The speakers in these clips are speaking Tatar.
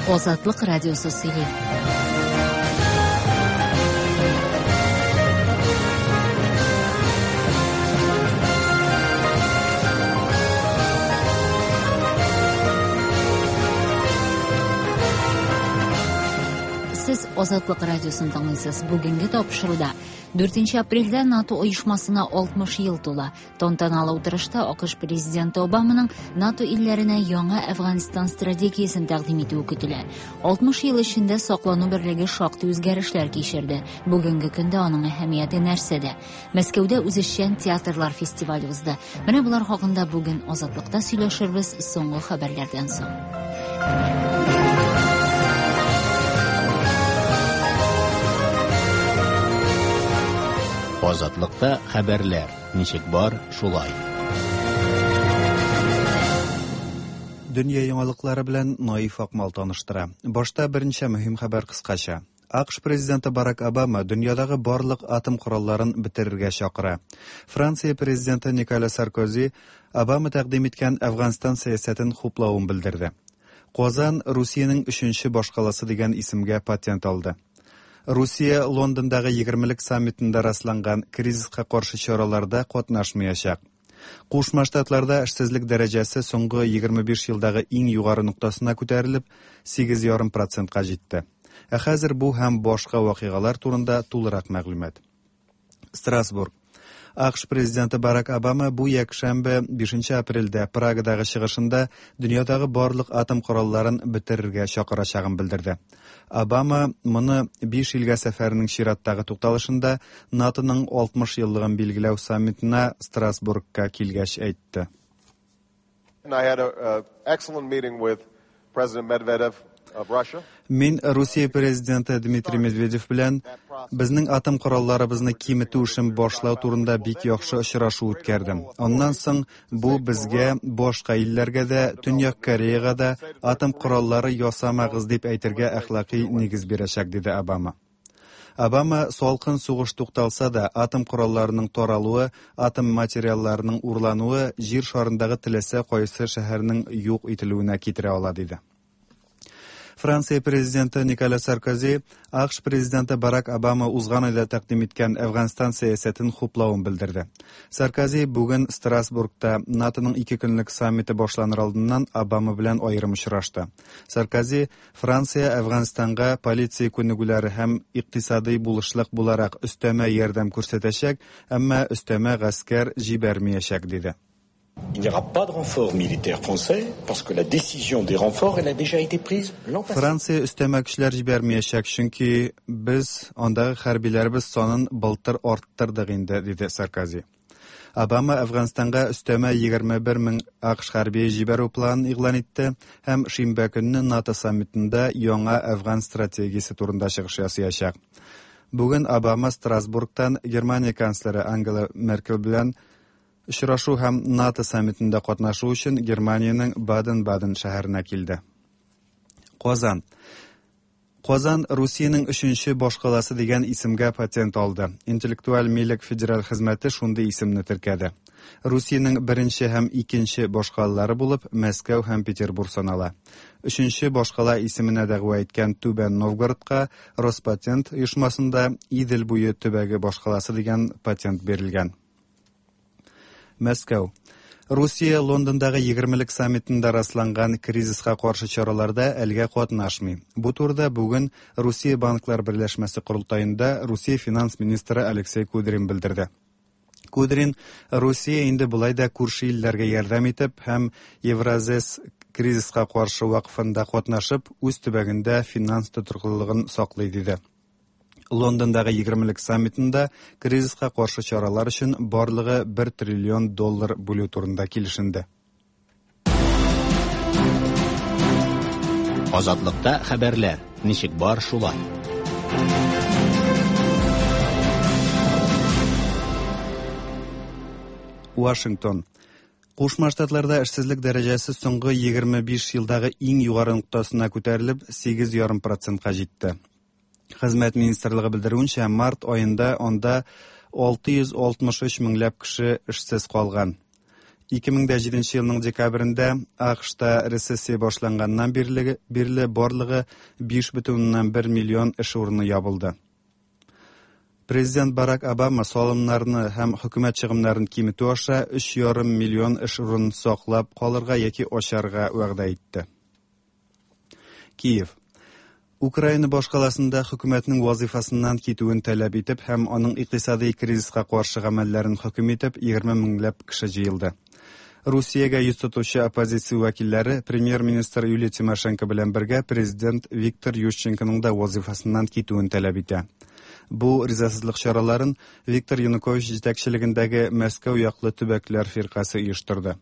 Азатлык радиосы сөйли. Сез Азатлык радиосын тыңлыйсыз. Бүгенге тапшыруда 4 апрельдә НАТО оешмасына 60 ел тула. Тантаналы утырышта АКШ президенты Обаманың НАТО илләренә яңа Әфганстан стратегиясен тәкъдим итүе көтелә. 60 ел эчендә саклану берлеге шактый үзгәрешләр кичерде. Бүгенге көндә аның әһәмияте нәрсәдә? Мәскәүдә үзешчән театрлар фестивале узды. Менә болар хакында бүген Азатлыкта сөйләшербез соңгы хәбәрләрдән соң. Азатлыкта хәбәрләр. Ничек бар, шулай. Дөнья яңалыклары белән Наиф Акмал таныштыра. Башта берничә мөһим хәбәр кыскача. АКШ президенты Барак Обама дөньядагы барлык атом коралларын бетерергә чакыра. Франция президенты Николя Саркози Обама тәкъдим иткән Әфганстан сәясәтен хуплавын белдерде. Казан Русиянең өченче башкаласы дигән исемгә патент алды. Русия Лондондагы егермелек саммитында расланган кризиска каршы чараларда катнашмаячак. Кушма Штатларда эшсезлек дәрәҗәсе соңгы 25 елдагы иң югары ноктасына күтәрелеп, 8,5 процентка җитте. Ә хәзер бу һәм башка вакыйгалар турында тулырак мәгълүмат. Страсбург. АКШ президенты Барак Обама бу якшәмбе 5 апрельдә Прагадагы чыгышында дөньядагы барлык атом коралларын бетерергә чакырачагын белдерде. Обама моны биш илгә сәфәренең чираттагы тукталышында НАТОның 60 еллыгын билгеләү саммитына Страсбургка килгәч әйтте. I had an excellent meeting with President Medvedev of Russia. Мин Русия президенты Дмитрий Медведев белән безнең атом коралларыбызны киметү эшен башлау турында бик яхшы очрашу үткәрдем. Аннан соң бу безгә, башка илләргә дә, Төньяк Кореяга да атом кораллары ясамагыз дип әйтергә әхлакый нигез бирәчәк, диде Обама. Обама салкын сугыш тукталса да, атом коралларының таралуы, атом материалларының урлануы җир шарындагы теләсә кайсы шәһәрнең юк ителүенә китерә ала, диде. Франция президенты Николя Саркози АКШ президенты Барак Обама узган айда тәкъдим иткән Әфганстан сәясәтен хуплавын белдерде. Саркози бүген Страсбургта НАТОның ике көнлек саммиты башланыр алдыннан Обама белән аерым очрашты. Саркози Франция Әфганстанга полиция күнегүләре һәм икътисадый булышлык буларак өстәмә ярдәм күрсәтәчәк, әмма өстәмә гаскәр җибәрмәячәк, диде. Il n'y aura pas de renfort militaire français parce que la décision des renforts, elle a déjà été prise l'an passé. Франция өстәмә көчләр җибәрмәячәк, чөнки без андагы хәрбиләребез санын былтыр арттырдык инде, диде Саркози. Обама Әфганстанга өстәмә 21 мең АКШ хәрбие җибәрү планын игълан итте һәм шимбә көнне НАТО саммитында яңа Әфган стратегиясе турында чыгыш ясаячак. Бүген Обама Страсбургтан Германия канцлеры Ангела Меркель белән очрашу һәм НАТО саммитында катнашу өчен Германиянең Баден-Баден шәһәренә килде. Казан. Казан Русиянең өченче башкаласы дигән исемгә патент алды. Интеллектуаль милек федераль хезмәте шундый исемне теркәде. Русиянең беренче һәм икенче башкалалары булып Мәскәү һәм Петербург санала. Өченче башкала исеменә дәгъва иткән Түбән Новгородка Роспатент оешмасында Идел буе төбәге башкаласы дигән патент бирелгән. Мәскәү. Русия Лондондагы егермелек саммитында расланган кризиска каршы чараларда әлгә катнашмый. Бу турыда бүген Русия банклар берләшмәсе корылтаенда Русия финанс министры Алексей Кудрин белдерде. Кудрин Русия инде болай да күрше илләргә ярдәм итеп һәм Евразес кризиска каршы вакыфында катнашып, үз төбәгендә финанс тотрыклылыгын саклый диде. Лондондагы егермелек саммитында кризиска каршы чаралар өчен барлыгы 1 триллион доллар бүлү турында килешенде. Азатлыкта хәбәрләр ничек бар шулай. Вашингтон. Кушма Штатларда эшсезлек дәрәҗәсе соңгы 25 елдагы иң югары ноктасына күтәрелеп, 8,5 процентка җитте. Хезмәт министрлыгы белдерүенчә, март аенда анда 663 меңләп кеше эшсез калган. 2007 елның декабрендә АКШта рецессия башланганнан бирле, бирле барлыгы 5,1 миллион эш урыны ябылды. Президент Барак Обама салымнарны һәм хөкүмәт чыгымнарын киметү аша 3,5 миллион эш урынын саклап калырга яки ачарга вәгъдә итте. Киев. Украина башкаласында хөкүмәтнең вазифасыннан китүен таләп итеп һәм аның икътисади кризиска каршы гамәлләрен хөкем итеп 20 меңләп кеше җыелды. Русиягә йөз тотучы оппозиция вәкилләре премьер-министр Юлия Тимошенко белән бергә президент Виктор Ющенконың да вазифасыннан китүен таләп итә. Бу ризасызлык чараларын Виктор Янукович җитәкчелегендәге Мәскәү яклы төбәкләр фиркасе оештырды.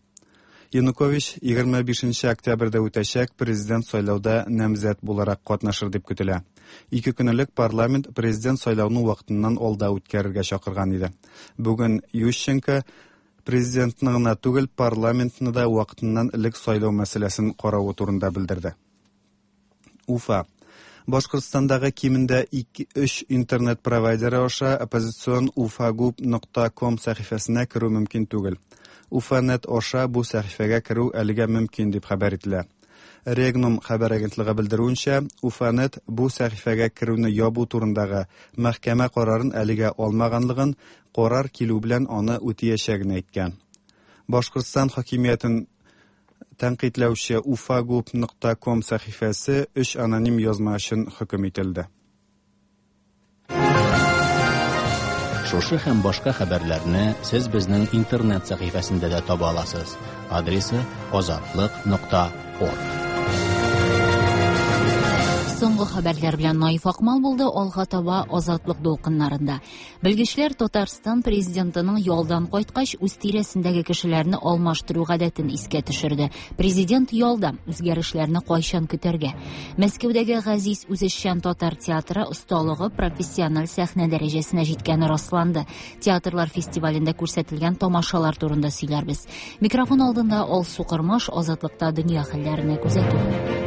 Янукович 25 октябрьдә үтәчәк президент сайлауда намзәт буларак катнашыр дип көтелә. Ике көн элек парламент президент сайлауны вакытыннан алда үткәрергә чакырган иде. Бүген Ющенко президентны гына түгел, парламентны да вакытыннан элек сайлау мәсьәләсен каравы турында белдерде. Уфа. Башкортстандагы кимендә 2-3 интернет провайдеры аша оппозицион ufagub.com сәхифәсенә керү мөмкин түгел. Уфанет аша бу сәхифәгә керү әлегә мөмкин дип хәбәр ителә. Регнум хәбәр агентлыгы белдерүенчә, Уфанет бу сәхифәгә керүне ябу турындагы мәхкәмә карарын әлегә алмаганлыгын, карар килү белән аны үтәячәген әйткән. Башкортстан хакимиятен тәнкыйтьләүче ufagub.com сәхифәсе өч аноним язма өчен хөкем ителде. Шушы һәм башка хәбәрләрне сез безнең интернет сәхифәсендә дә таба аласыз. Адресы azatliq.org. Соңгы хәбәрләр белән Наиф Акмал булды, алга таба Азатлык дулкыннарында. Белгечләр Татарстан президентының ялдан кайткач үз тирәсендәге кешеләрне алмаштыру гадәтен искә төшерде. Президент ялда, үзгәрешләрне кайчан көтәргә? Мәскәүдәге Газиз үзешчән татар театры осталыгы профессиональ сәхнә дәрәҗәсенә җиткәне расланды. Театрлар фестивалендә күрсәтелгән тамашалар турында сөйләрбез. Микрофон алдында Алсу Кырмаш, Азатлыкта дөнья хәлләренә күзәтү.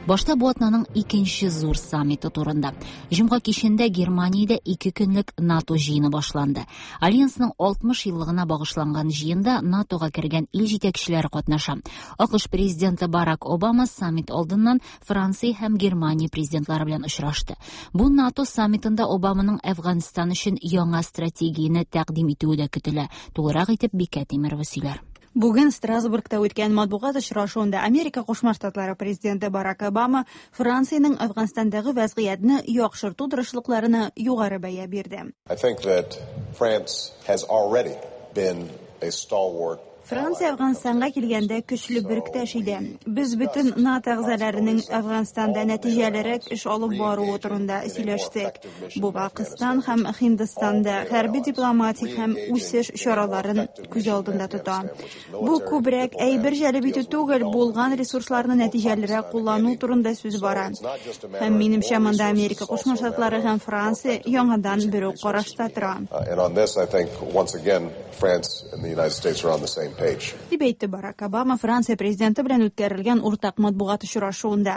Башта бу атнаның икенче зур саммиты турында. Җомга кичендә Германиядә ике көнлек НАТО җыены башланды. Альянсның 60 еллыгына багышланган җыенда НАТОга кергән ил җитәкчеләре катнаша. АКШ президенты Барак Обама саммит алдыннан Франция һәм Германия президентлары белән очрашты. Бу НАТО саммитында Обаманың Әфганстан өчен яңа стратегияне тәкъдим итүе дә көтелә. Тулырак итеп Бикә Тимирова сөйләр. Бүген Страсбургта үткән матбугат очрашуында Америка Кушма Штатлары президенты Барак Обама Франциянең Әфганстандагы вәзгыятьне яхшырту тырышлыкларына югары бәя бирде. I think that France has already been a stalwart. Франция Әфганстанга килгәндә көчле беректәш иде. Без бөтен НАТО әгъзаларының Әфганстанда нәтиҗәлерәк эш алып баруы турында сөйләштек. Бу Пакистан һәм Һиндстанда хәрби дипломатик һәм үсеш чараларын күз алдында тота. Бу күбрәк әйбер җәлеп итү түгел, булган ресурсларны нәтиҗәлерәк куллану турында сүз бара. Һәм минемчә монда Америка Кушма Штатлары һәм Франция яңадан бер үк карашта тора. And on this, I think, once again, France and the United States are on the same page. Дип әйтте Барак Обама Франция президенты белән үткәрелгән уртак матбугат очрашуында.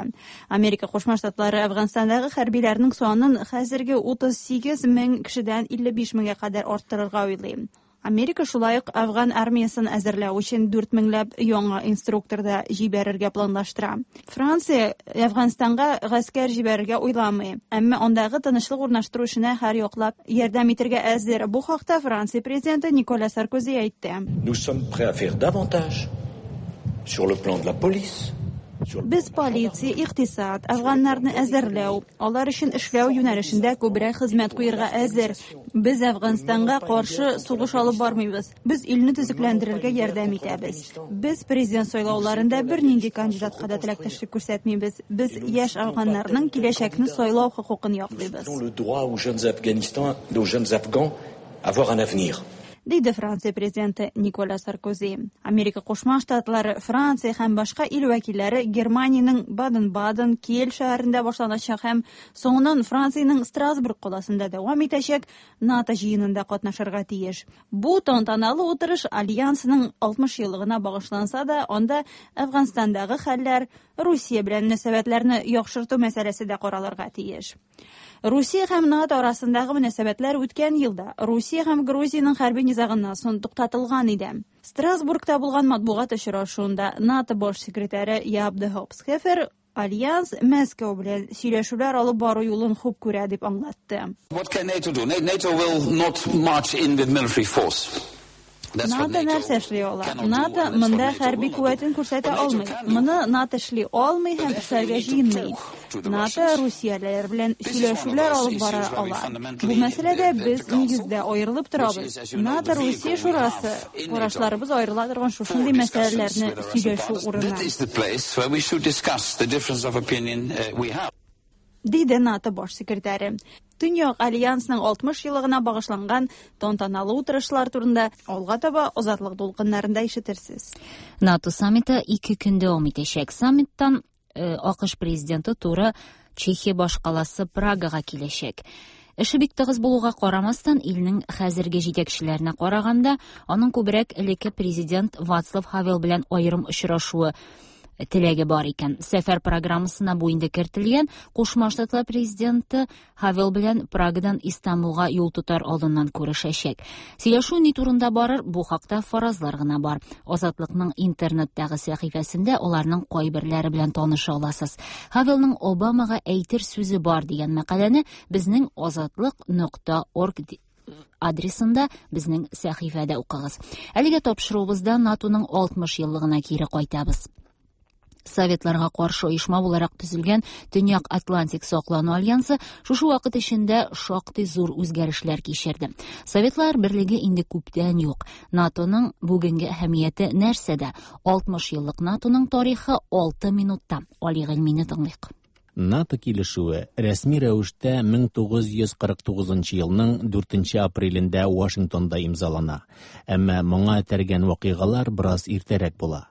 Америка Кушма Штатлары Әфганстандагы хәрбиләрнең санын хәзерге 38 мең кешедән 55 меңгә кадәр арттырырга уйлый. Америка шулай ук Афган армиясын әзерләү өчен 4 меңләп яңа инструктор да җибәрергә планлаштыра. Франция Әфганстанга гаскәр җибәрергә уйламый, әмма андагы тынычлык урнаштыру эшенә һәр яклап ярдәм итәргә әзер. Бу хакта Франция президенты Николя Саркози әйтте. Nous sommes prêts à faire davantage sur le plan de la police, sur le Без полиция, икътисад, афганнарны әзерләү, алар өчен эшләү юнәлешендә күбрәк хезмәт куярга әзер. Без Әфганстанга каршы сугыш алып бармыйбыз. Без илне төзекләндерергә ярдәм итәбез. Без президент сайлауларында бернинди кандидатка да теләктәшлек күрсәтмибез. Без яшь афганнарның киләчәкне сайлау хокукын яклыйбыз. le droit aux jeunes Afghanistans, aux jeunes Afghans, avoir un avenir. диде Франция президенты Николя Саркози. Америка Кушма Штатлары, Франция һәм башка ил вәкилләре Германиянең Баден-Баден, Киель шәһәрендә башланачак һәм соңыннан Франциянең Страсбург каласында дәвам итәчәк НАТО җыенында катнашырга тиеш. Бу тантаналы утырыш альянсның 60 еллыгына багышланса да, анда Әфганстандагы хәлләр, Русия белән мөнәсәбәтләрне яхшырту мәсьәләсе дә каралырга тиеш. Русия һәм НАТО арасындагы мөнәсәбәтләр үткән елда Русия һәм Грузиянең хәрби низагыннан соң туктатылган иде. Страсбургта булган матбугат очрашуында НАТО баш секретаре Яп де Хопсхефер Альянс Мәскәү белән сөйләшүләр алып бару юлын хуп күрә дип аңлатты. What can NATO do? NATO will not march in with military force. НАТО нәрсә эшли ала? НАТО монда хәрби куәтен күрсәтә алмый. Моны НАТО эшли алмый һәм эшләргә җыенмый. НАТО русиялеләр белән сөйләшүләр алып бара ала. Бу мәсьәләдә без нигездә аерылып торабыз. НАТО Русия шурасы карашларыбыз аерыла торган шушындый мәсьәләләрне сөйләшү урыны. Диде НАТО баш секретаре. Төньяк альянсның 60 еллыгына багышланган тантаналы утырышлар турында алга таба Азатлык дулкыннарында ишетерсез. НАТО саммиты 2 көн дәвам итәчәк. Саммиттан АКШ президенты туры Чехия башкаласы Прагага киләчәк. Эше бик тыгыз булуга карамастан, илнең хәзерге җитәкчеләренә караганда, аның күбрәк элекке президент Вацлав Хавел белән аерым очрашуы теләге бар икән. Сәфәр программасына бу инде кертелгән. Кушма Штатлар президенты Хавел белән Прагадан Истанбулга юл тотар алдыннан күрешәчәк. Сөйләшү ни турында барыр, бу хакта фаразлар гына бар. Азатлыкның интернеттагы сәхифәсендә аларның кайберләре белән таныша аласыз. Хавелның Обамага әйтер сүзе бар дигән мәкаләне безнең азатлык.org адресында безнең сәхифәдә укыгыз. Әлегә тапшыруыбызда НАТОның 60 еллыгына кире кайтабыз. Советларга каршы оешма буларак төзелгән Төньяк Атлантик саклану альянсы шушы вакыт эчендә шактый зур үзгәрешләр кичерде. Советлар берлеге инде күптән юк. НАТОның бүгенге әһәмияте нәрсәдә? 60 еллык НАТОның тарихы 6 минутта. Али Гыйльмине тыңлыйк. НАТО килешүе рәсми рәвештә 1949 елның 4 апрелендә Вашингтонда имзалана. Әмма моңа этәргән вакыйгалар бераз иртәрәк була.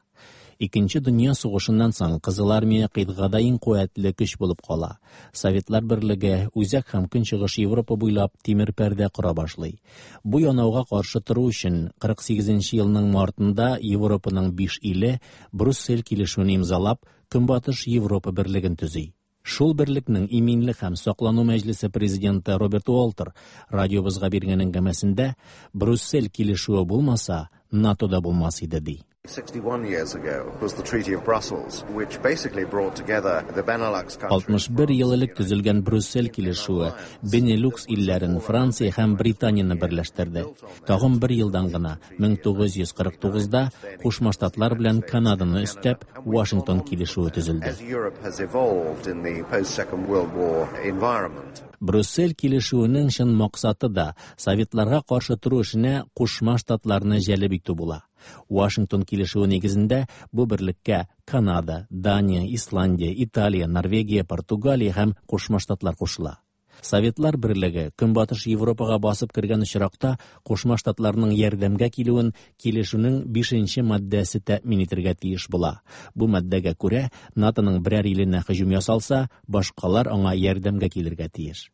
Икенче дөнья сугышыннан соң Кызыл армия кыйтгада иң куәтле көч булып кала. Советлар берлеге Үзәк һәм Көнчыгыш Европа буйлап тимер пәрдә кора башлый. Бу янауга каршы тору өчен 48 елның мартында Европаның 5 иле Брюссель килешүен имзалап, Көнбатыш Европа берлеген төзи. Шул берлекнең иминлек һәм саклану мәҗлесе президенты Роберт Уолтер радиобызга биргән әңгәмәсендә Брюссель килешүе булмаса, НАТО да булмас иде ди. 61 years ago was the Treaty of Brussels, which basically brought together the Benelux countries. 61 ел элек төзелгән Брюссель килешүе Бенилюкс илләрен Франция һәм Британияне берләштерде. Тагын бер елдан гына 1949-да Кушма Штатлар белән Канаданы өстәп Вашингтон килешүе төзелде. As Europe has evolved in the post-Second World War environment. Брюссель килешүенең чын максаты да Советларга каршы тору эшенә Кушма Штатларны җәлеп итү була. Вашингтон килешүе нигезендә бу берлеккә Канада, Дания, Исландия, Италия, Норвегия, Португалия һәм Кушма Штатлар кушыла. Советлар берлеге Көнбатыш Европага басып кергән очракта Кушма Штатларның ярдәмгә килүен килешүнең 5-нче маддәсе тәэмин итәргә тиеш була. Бу маддәгә күрә НАТОның берәр иленә һөҗүм ясалса, башкалар аңа ярдәмгә килергә тиеш.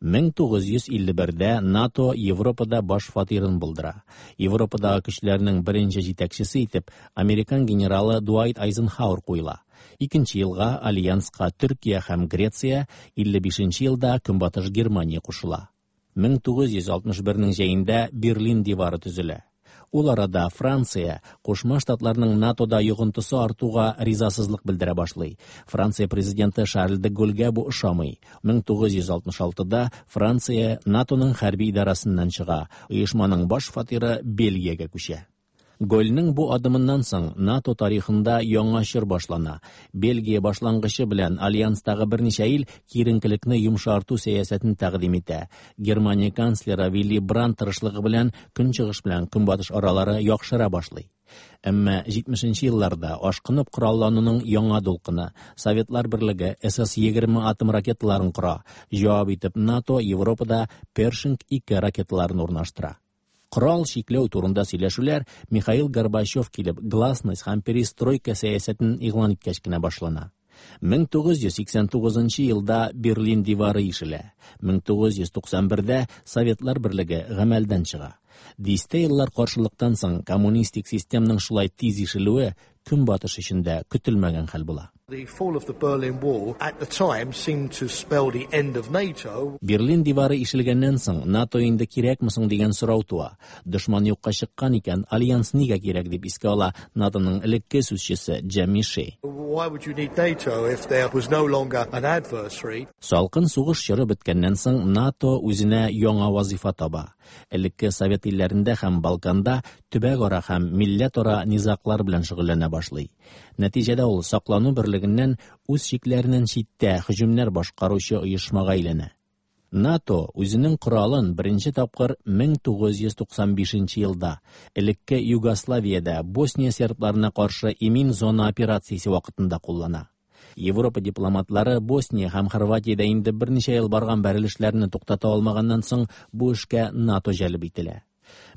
1951-дә НАТО Европада баш фатирын булдыра. Европадагы көчләрнең беренче җитәкчесе итеп американ генералы Дуайт Айзенхауэр куела. Икенче елга альянска Төркия һәм Греция, 55 елда Көнбатыш Германия кушыла. 1961-нең җәендә Берлин дивары төзелә. Ул арада Франция Кушма Штатларның НАТОда йогынтысы артуга ризасызлык белдерә башлый. Франция президенты Шарль де Голльгә бу ошамый. 1966-да Франция НАТОның хәрби идарәсеннән чыга. Оешманың баш фатиры Бельгиягә күчә. Гольнең бу адымыннан соң НАТО тарихында яңа чор башлана. Бельгия башлангычы белән альянстагы берничә ил киеренкелекне йомшарту сәясәтен тәкъдим итә. Германия канцлеры Вилли Брандт тырышлыгы белән Көнчыгыш белән Көнбатыш аралары яхшыра башлый. Әмма 70 елларда ашкынып кораллануның яңа дулкыны Советлар берлеге СС-20 атом ракеталарын кора. Җавап итеп НАТО Европада Першинг 2 ракеталарын урнаштыра. Корал чикләү турында сөйләшүләр Михаил Горбачев килеп гласность һәм перестройка сәясәтен игълан иткәч кенә башлана. 1989 елда Берлин дивары ишелә. 1991-дә Советлар берлеге гамәлдән чыга. Дистә еллар каршылыктан соң коммунистик системның шулай тиз ишелүе Көнбатыш өчен дә көтелмәгән хәл була. The fall of the Berlin Wall at the time seemed to spell the end of NATO. Берлин дивары ишелгәннән соң НАТО инде кирәкме соң дигән сорау туа. Дошман юкка чыккан икән, альянс нигә кирәк дип искә ала НАТОның элекке сүзчесе Джемми Ши. Why would you need NATO if there was no longer an adversary? Салкын сугыш чоры беткәннән соң НАТО үзенә яңа вазифа таба. Элекке Совет илләрендә һәм Балканда төбәкара һәм милләтара низаглар белән шөгыльләнә башлый. Нәтиҗәдә ул саклану берлегеннән үз чикләреннән читтә һөҗүмнәр башкаручы оешмага әйләнә. НАТО үзенең коралын беренче тапкыр 1995 елда элекке Югославиядә Босния сербларына каршы имин зона операциясе вакытында куллана. Европа дипломатлары Босния һәм Хорватиядә инде берничә ел барган бәрелешләрне туктата алмаганнан соң бу эшкә НАТО җәлеп ителә.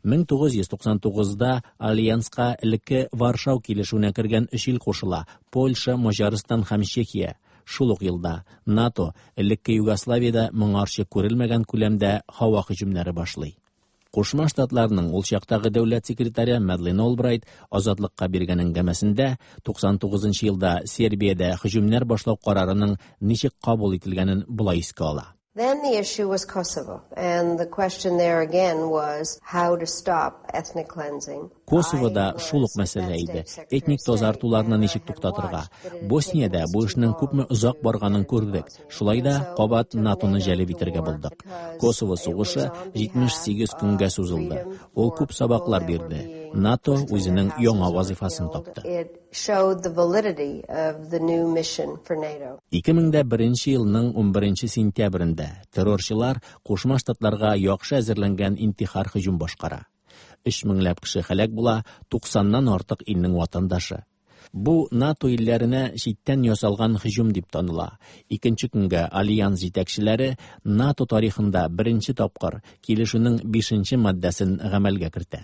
1999-да альянска элекке Варшау килешүенә кергән өч ил кушыла: Польша, Маҗарстан һәм Чехия. Шул ук елда НАТО элекке Югославиядә моңарчы күрелмәгән күләмдә һава һөҗүмнәре башлый. Кушма Штатларның ул чактагы дәүләт секретаре Мадлен Олбрайт Азатлыкка биргән әңгәмәсендә 99 елда Сербиядә һөҗүмнәр башлау карарының ничек кабул ителгәнен болай искә ала. Then the issue was Kosovo, and the question there again was how to stop ethnic cleansing. Косовода шул ук мәсьәлә иде. Этник тазартуларны ничек туктатырга? Босниядә бу эшнең күпме озак барганын күрдек. Шулай да кабат НАТОны җәлеп итәргә булдык. Косово сугышы 78 көнгә сузылды. Ул күп сабаклар бирде. НАТО үзенең яңа вазифасын тапты. It showed the validity of the new mission for NATO. 2001 елның 11 сентябрендә террорчылар Кушма Штатларга яхшы әзерләнгән интихар һөҗүм башкара. 3 меңләп кеше һәлак була, 90-нан артык илнең ватандашы. Бу НАТО илләренә читтән ясалган һөҗүм дип таныла. Икенче көнгә альянс җитәкчеләре НАТО тарихында беренче тапкыр килешүнең 5 маддәсен гамәлгә кертә.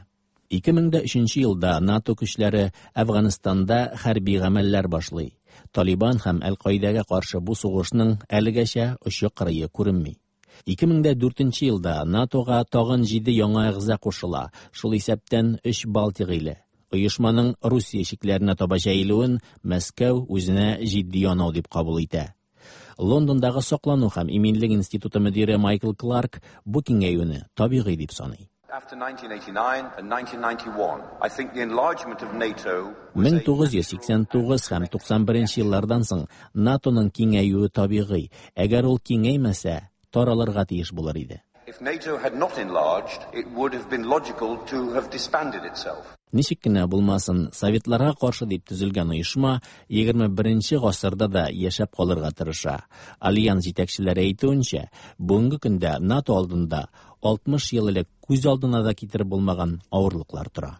2003 елда НАТО көчләре Әфганстанда хәрби гамәлләр башлый. Талибан һәм Әл-Каидәгә каршы бу сугышның әлегәчә очы кырые күренми. 2004 елда НАТОга тагын 7 яңа әгъза кушыла, шул исәптән 3 Балтик иле. Оешманың Русия чикләренә таба җәелүен Мәскәү үзенә җитди янау дип кабул итә. Лондондагы саклану һәм иминлек институты мөдире Майкл Кларк бу киңәюне табигый дип саный. After 1989 and 1991, I think the enlargement of NATO was a 1989 һәм 91 еллардан соң НАТОның киңәюе табигый. Әгәр ул киңәймәсә, таралырга тиеш булыр иде. If NATO had not enlarged, it would have been logical to have disbanded itself. Ничек кенә булмасын, Советларга каршы дип төзелгән оешма 21 гасырда да яшәп калырга тырыша. Альянс җитәкчеләре әйтүенчә, бүгенге көндә НАТО алдында 60 ел элек күз алдына да китереп булмаган авырлыклар тора.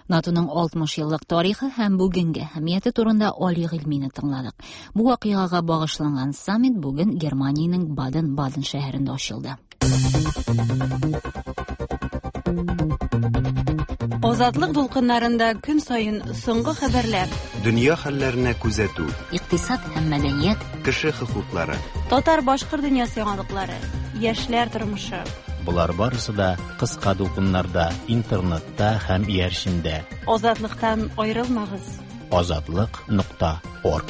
НАТОның 60 еллык тарихы һәм бүгенге әһәмияте турында Али Гыйльмине тыңладык. Бу вакыйгага багышланган саммит бүген Германиянең Баден-Баден шәһәрендә ачылды. Азатлык дулкыннарында көн саен соңгы хәбәрләр, Дөнья хәлләренә күзәтү, Икътисад һәм мәдәният, кеше хокуклары. татар-башкорт дөньясы яңалыклары, яшьләр тормышы. Болар барысы да кыска дулкыннарда, интернетта һәм иярчендә. Азатлыктан аерылмагыз. Азатлык.орг.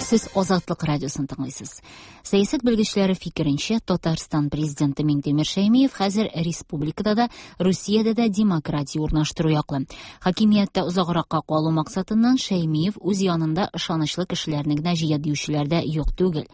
Сез Азатлык радиосын тыңлыйсыз. Сәясәт белгечләре фикеренчә, Татарстан президенты Миңтимер Шәймиев хәзер республикада да, Русиядә дә демократия урнаштыру яклы. Хакимияттә озагракка калу максатыннан Шәймиев үз янында ышанычлы кешеләрне генә җыя диючеләр дә юк түгел.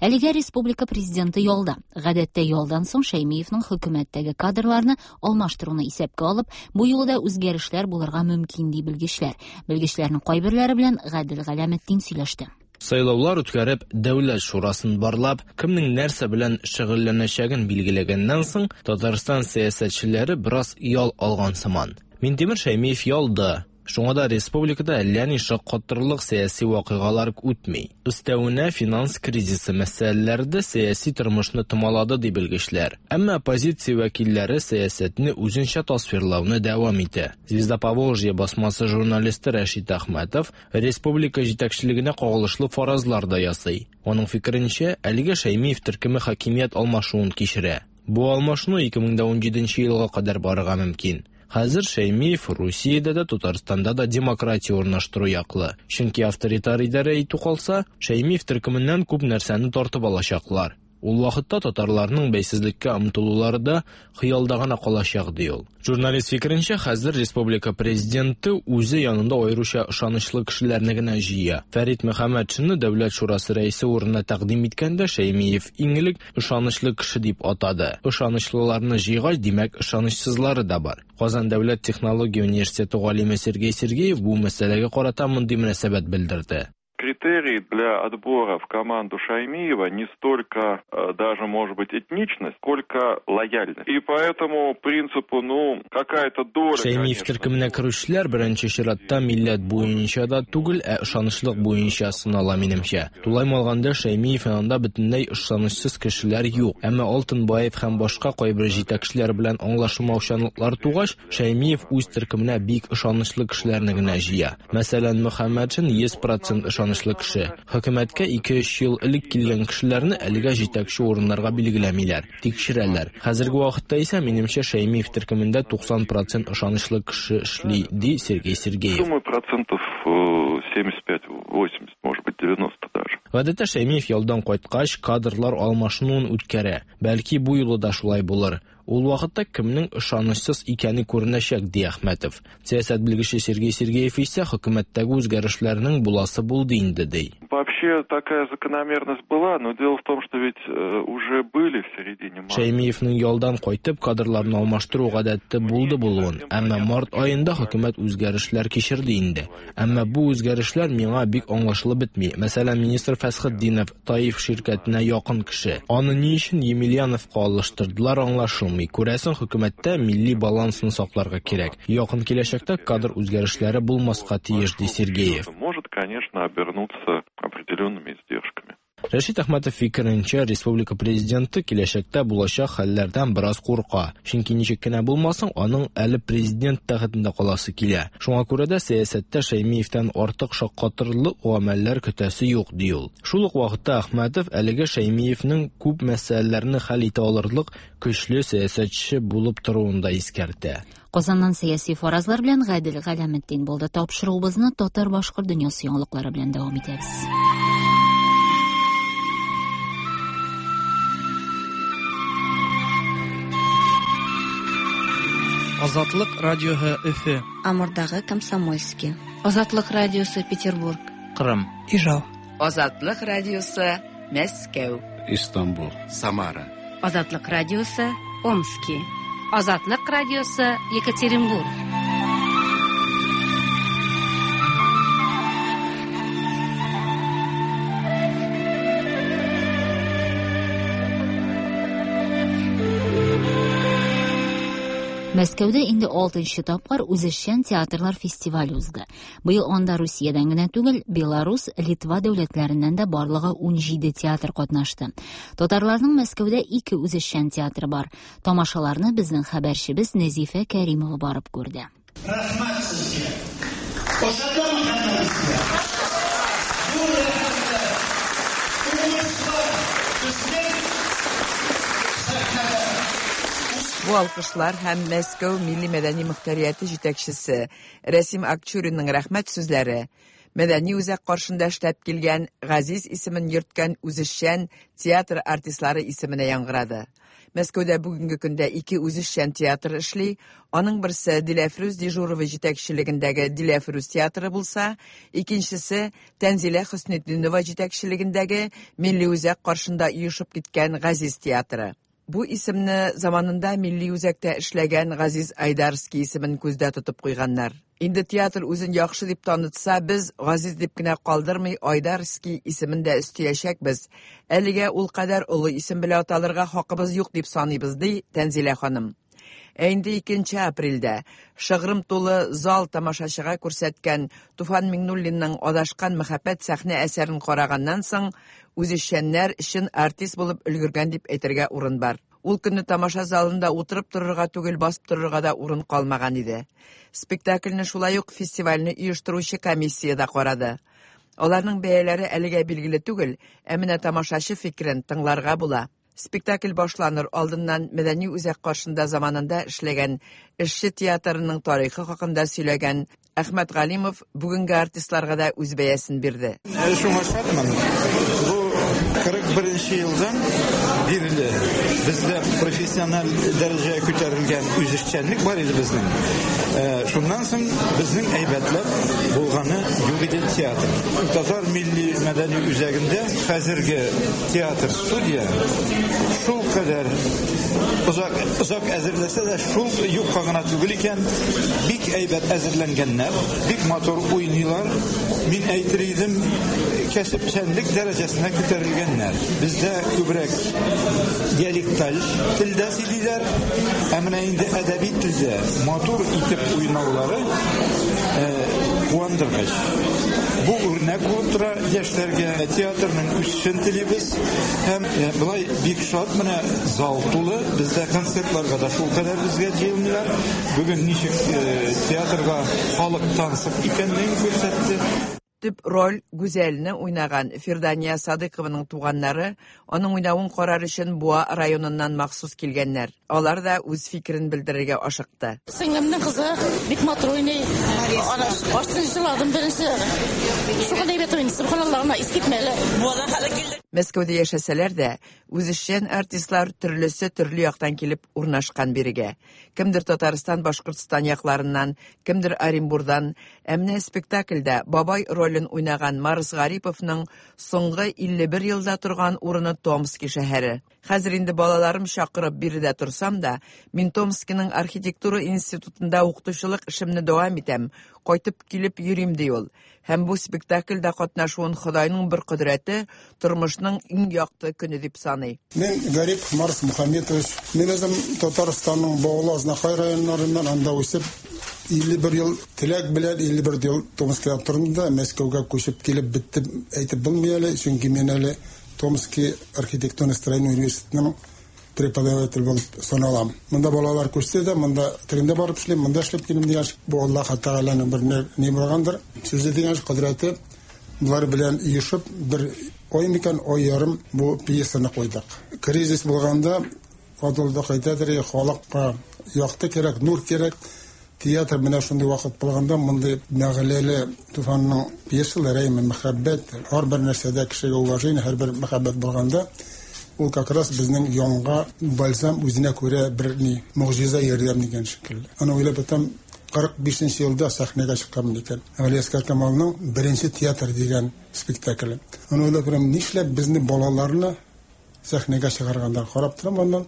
Әлегә республика президенты ялда. Гадәттә ялдан соң Шәймиевның хөкүмәттәге кадрларны алмаштыруны исәпкә алып, бу юлы да үзгәрешләр булырга мөмкин ди белгечләр. Белгечләрнең кайберләре белән Гадел Галәметдин сөйләште. Сайлаулар үткәреп, Дәүләт шурасын барлап, кемнең нәрсә белән шөгыльләнәчәген билгеләгәннән соң, Татарстан сәясәтчеләре бераз ял алган сыман. Минтимер Шәймиев ялда. Шуңа да республикада әллә ни шаккатырлык сәяси вакыйгалар үтми. Өстәвенә финанс кризисы мәсьәләләре дә сәяси тормышны томалады, ди белгечләр. Әмма оппозиция вәкилләре сәясәтне үзенчә тасвирлауны дәвам итә. Звезда Поволжья басмасы журналисты Рәшит Әхмәтов республика җитәкчелегенә кагылышлы фаразлар да ясый. Аның фикеренчә, әлегә Шәймиев төркеме хакимият алмашуын кичерә. Бу алмашыну 2017 елга кадәр барырга мөмкин. Хәзер Шәймиев Русиядә дә, Татарстанда да демократия урнаштыру яклы. Чөнки авторитар идарә итү калса, Шәймиев төркеменнән күп нәрсәне тартып алачаклар. Ул вакытта татарларның бәйсезлеккә омтылулары да хыялда гына калачак, ди ул. Журналист фикеренчә, хәзер республика президенты үзе янында аеруча ышанычлы кешеләрне генә җыя. Фәрит Мөхәммәтшинны Дәүләт шурасы рәисе урынына тәкъдим иткәндә Шәймиев иң элек ышанычлы кеше дип атады. Ышанычлыларны җыйгач, димәк, ышанычсызлары да бар. Казан дәүләт технология университеты галиме Сергей Сергеев бу мәсьәләгә карата мондый мөнәсәбәт белдерде. Критерий для отбора в команду Шаймиева не столько даже, может быть, этничность, сколько лояльность. И по этому принципу, ну, какая-то доля, Шәймиев төркеменә керүчеләр беренче чиратта милләт буенча да түгел, ә ышанычлык буенча сынала, минемчә. Тулаем алганда, Шәймиев янында бөтенләй ышанычсыз кешеләр юк. Әмма Алтынбаев һәм башка кайбер җитәкчеләр белән аңлашылмаучанлыклар тугач, Шәймиев үз төркеменә бик ышанычлы кешеләрне генә җыя. Мәсәлән, Мөхәммәтшин 100% ышанычлы кеше. Хөкүмәткә 2-3 ел элек килгән кешеләрне әлегә җитәкче урыннарга билгеләмиләр, тикшерәләр. Хәзерге вакытта исә, минемчә, Шәймиев төркемендә 90% ышанычлы кеше эшли, ди Сергей Сергеев. Думаю, процентов 75-80, может быть, 90 даже. Гадәттә Шәймиев ялдан кайткач, кадрлар алмашынуын үткәрә. Бәлки бу юлы да шулай булыр. Ул вакытта кемнең ышанычсыз икәне күренәчәк, ди Әхмәтов. Сәясәт белгече Сергей Сергеев исә хөкүмәттәге үзгәрешләрнең буласы булды инде, ди. Вообще такая закономерность была, но дело в том, что ведь уже были в середине марта. Шәймиевнең ялдан кайтып кадрларны алмаштыру гадәте булды булуын, әмма март аенда хөкүмәт үзгәрешләр кичерде инде. Әмма бу үзгәрешләр миңа бик аңлашылып бетми. Мәсәлән, министр Фәсхетдинов Таиф ширкәтенә якын кеше. Аны ни өчен Емельяновка алыштырдылар, аңлашылмый. Күрәсең, хөкүмәттә милли балансны сакларга кирәк. Якын киләчәктә кадр үзгәрешләре булмаска тиеш, ди Сергеев. Может, конечно, обернуться определенными издержками. Рәшит Әхмәтов фикеренчә, республика президенты киләчәктә булачак хәлләрдән бераз курка. Чөнки ничек кенә булмасын, аның әле президент тәхетендә каласы килә. Шуңа күрә дә сәясәттә Шәймиевтән артык шаккатырлык гамәлләр көтәсе юк, ди ул. Шул ук вакытта Әхмәтов әлеге Шәймиевнең күп мәсьәләләрне хәл итә алырлык көчле сәясәтче булып торуын да искәртә. Казаннан сәяси фаразлар белән Гадел Галәметдин булды. Тапшыруыбызны татар-башкорт дөньясы яңалыклары белән дәвам итәбез. Азатлык радиоһы Өфе. Амурдагы Комсомольский. Азатлык радиосы Петербург. Кырым. Ижау. Азатлык радиосы Мәскәү. Истанбул. Самара. Азатлык радиосы Омски. Азатлык радиосы Екатеринбург. Мәскәүдә инде 6нчы тапкыр үзешчән театрлар фестивале узды. Быел анда Русиядән генә түгел, Беларус, Литва дәүләтләреннән дә барлыгы 17 театр катнашты. Татарларның Мәскәүдә 2 үзешчән театры бар. Тамашаларны безнең хәбәрчебез Нәзифә Кәримова барып күрде. Рәхмәт сезгә. Ошадымы һәммәгезгә? Бу рәхмәтләр, уңышлар безнең сәхнәдә. Бу алкышлар һәм Мәскәү милли мәдәни мөхтәрияте җитәкчесе Рәсим Акчуринның рәхмәт сүзләре мәдәни үзәк каршында эшләп килгән Газиз исемен йөрткән үзешчән театр артистлары исеменә яңгырады. Мәскәүдә бүгенге көндә 2 үзешчән театр эшли. Аның берсе Диләфрүз Дежурова җитәкчелегендәге Диләфрүз театры булса, икенчесе Тәнзилә Хөснетдинова җитәкчелегендәге милли үзәк каршында оешып киткән Газиз театры. Бу исемне заманында милли үзәктә эшләгән Газиз Айдарский исемен күздә тотып куйганнар. Инде театр үзен яхшы дип танытса, без Газиз дип кенә калдырмый Айдарский исемен дә өстәячәкбез. Әлегә ул кадәр олы исем белән аталырга хакыбыз юк дип саныйбыз, ди Тәнзилә ханым. Ә инде 2 апрельдә шыгрым тулы зал тамашачыга күрсәткән Туфан Миңнуллинның Адашкан мәхәббәт сәхнә әсәрен караганнан соң, үзешчәннәр чын артист булып өлгергән дип әйтергә урын бар. Ул көнне тамаша залында утырып торырга түгел, басып торырга да урын калмаган иде. Спектакльне шулай ук фестивальне оештыручы комиссия дә карады. Аларның бәяләре әлегә билгеле түгел, ә менә тамашачы фикерен тыңларга була. Спектакль башланыр алдыннан мәдәни үзәк каршында заманында эшләгән эшче театрының тарихы хакында сөйләгән Әхмәт Галимов бүгенге артистларга да үз бәясен бирде. Шуңа шатмын. Бу 41 елдан бирле бездә профессиональ дәрәҗәгә күтәрелгән үзешчәнлек бар иде безнең. Шуннан соң безнең әйбәтләп булганы юк иде театр. Татар милли мәдәни үзәгендә хәзерге театр студия шул кадәр озак озак әзерләсә дә, шул юкка гына түгел икән, бик әйбәт әзерләнгәннәр, бик матур уйныйлар. Мин әйтер идем, кәсепчәнлек дәрәҗәсенә күтәрелгәннәр. Бездә күбрәк диалекталь телдә сөйлиләр, ә менә инде әдәби телдә матур итеп уйнаулары куандыргыч. Бу үрнәк булып тора яшьләргә. Театрның үсешен телибез. Һәм болай бик шат, менә зал тулы, бездә концертларга да шул кадәр безгә җыелмыйлар. Бүген ничек театрга халык тансык икәнлеген күрсәтте. Төп роль Гүзәлне уйнаган Фирдания Садыйкованың туганнары аның уйнавын карар өчен Буа районыннан махсус килгәннәр. Алар да үз фикерен белдерергә ашыкты. Сеңлемнең кызы бик матур уйный. Ана баштан җырладым беренче. Шул әйбәт уйный, субханаллаһ, ана искитмәле. Буадан хәле килдек. Мәскәүдә яшәсәләр дә, үзешчән артистлар төрлесе төрле яктан килеп урнашкан бирегә. Кемдер Татарстан, Башкортстан якларыннан, кемдер Оренбурдан. Ә менә спектакльдә бабай ролен уйнаган Марс Гариповның соңгы 51 елда торган урыны Томски шәһәре. Хәзер инде балаларым чакырып биредә торсам да, мин Томскиның архитектура институтында укытучылык эшемне дәвам итәм, кайтып килеп йөрим, ди ул. Һәм бу спектакльдә катнашуын Ходайның бер кодрәте, тормышның иң якты көне дип саный. Мин Гарипов Марс Мухаметович. Мин үзем Татарстанның Баулы, Азнакай районнарыннан, анда үсеп, 51 ел теләк белән 51 ел Томскида тордым да, Мәскәүгә күчеп килеп беттем әйтеп булмый әле, чөнки мин әле Томский архитектурно-строительный университетының преподаватель булып саналам. Монда балалар күчсә дә, монда тегендә барып эшлим, монда эшләп килдем дигән, бу Аллаһ Тәгаләнең бер ни булгандыр, сүзе дигән кодрәте. Болар белән оешып, бер ай микән, ай ярым бу пьесаны куйдык. Кризис булганда, Адылдык әйтәдер, халыкка якты кирәк, нур кирәк. Театр менә шундый вакыт булганда, мондый мәгъләле Туфанның пьесалары, әйме, мәхәббәт, һәрбер нәрсәдә кешегә уважение, һәрбер мәхәббәт булганда, ул как раз безнең янга бальзам үзенә күрә бер ни, могҗиза ярдәм дигән шикелле. Аны уйлап ятам, 45 елда сәхнәгә чыкканмын икән. Галиәсгар Камалның Беренче театр дигән спектакле. Аны уйлап торам, нишләп безне балаларны сәхнәгә чыгарганнар, карап торам аннан.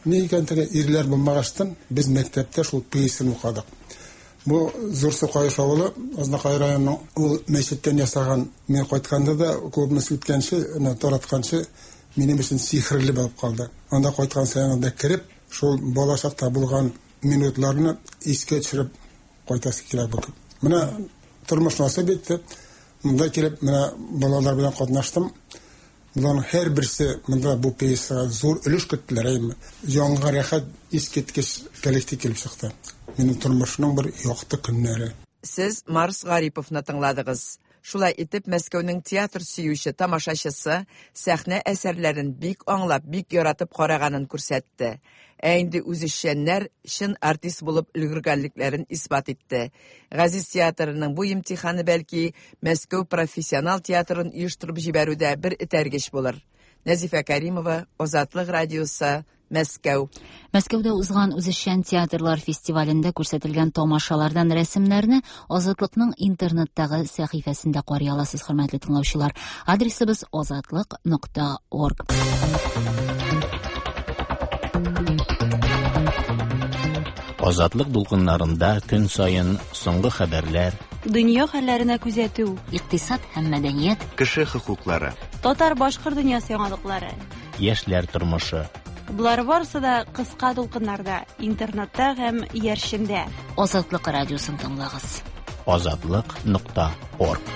Ни икән теге ирләр булмагачтын, без мәктәптә шул пьесаны укыдык. Бу Зур Сукаеш авылы, Азнакай районының, ул мәчеттән ясаган, мин кайтканда да клубны сүткәнче, таратканчы, минем өчен сихерле булып калды. Анда кайткан саен анда кереп, шул бала чакта булган минутларны искә төшереп кайтасы килә бу. Менә тормыш насыйп итте. Монда килеп, менә балалар белән катнаштым. Буларның һәрберсе монда бу пьесага зур өлеш керттеләр, әйеме? Җанга рәхәт, искиткеч коллектив килеп чыкты. Минем тормышның бер якты көннәре. Сез Марс Гариповны тыңладыгыз. Шулай итеп, Мәскәүнең театр сөюче тамашачысы сәхнә әсәрләрен бик аңлап, бик яратып караганын күрсәтте. Ә инде үзешчәннәр чын артист булып өлгергәнлекләрен исбат итте. Газиз театрының бу имтиханы бәлки Мәскәү профессионал театрын оештырып җибәрүдә бер этәргеч булыр. Нәзифә Каримова, Азатлык радиосы, Мәскәү. Мәскәүдә узган үзешчән театрлар фестивалендә күрсәтелгән тамашалардан рәсемнәрне Азатлыкның интернеттагы сәхифәсендә карый аласыз, хөрмәтле тыңлаучылар. Адресыбыз азатлык.орг. Азатлык дулкыннарында көн саен соңгы хәбәрләр, дөнья хәлләренә күзәтү, икътисад һәм мәдәният, кеше хокуклары, татар-башкорт дөньясы яңалыклары, яшьләр тормышы. Болар барысы да кыска дулкыннарда, интернетта һәм иярчендә. Азатлык радиосын тыңлагыз. Азатлык нокта орг.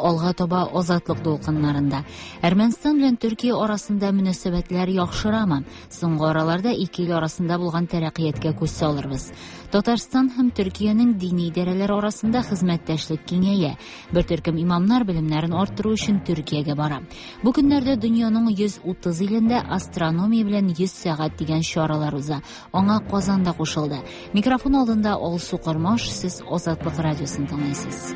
Алга таба Азатлык дулкыннарында. Әрмәнстан белән Төркия арасында мөнәсәбәтләр яхшырамы? Соңгы араларда ике ил арасында булган тәрәккыятькә күз салырбыз. Татарстан һәм Төркиянең дини идарәләре арасында хезмәттәшлек киңәя. Бер төркем имамнар белемнәрен арттыру өчен Төркиягә бара. Бу көннәрдә дөньяның 130 илендә астрономия белән 100 сәгать дигән чаралар уза. Аңа Казан да кушылды. Микрофон алдында Алсу Кормаш, сез Азатлык радиосын тыңлыйсыз.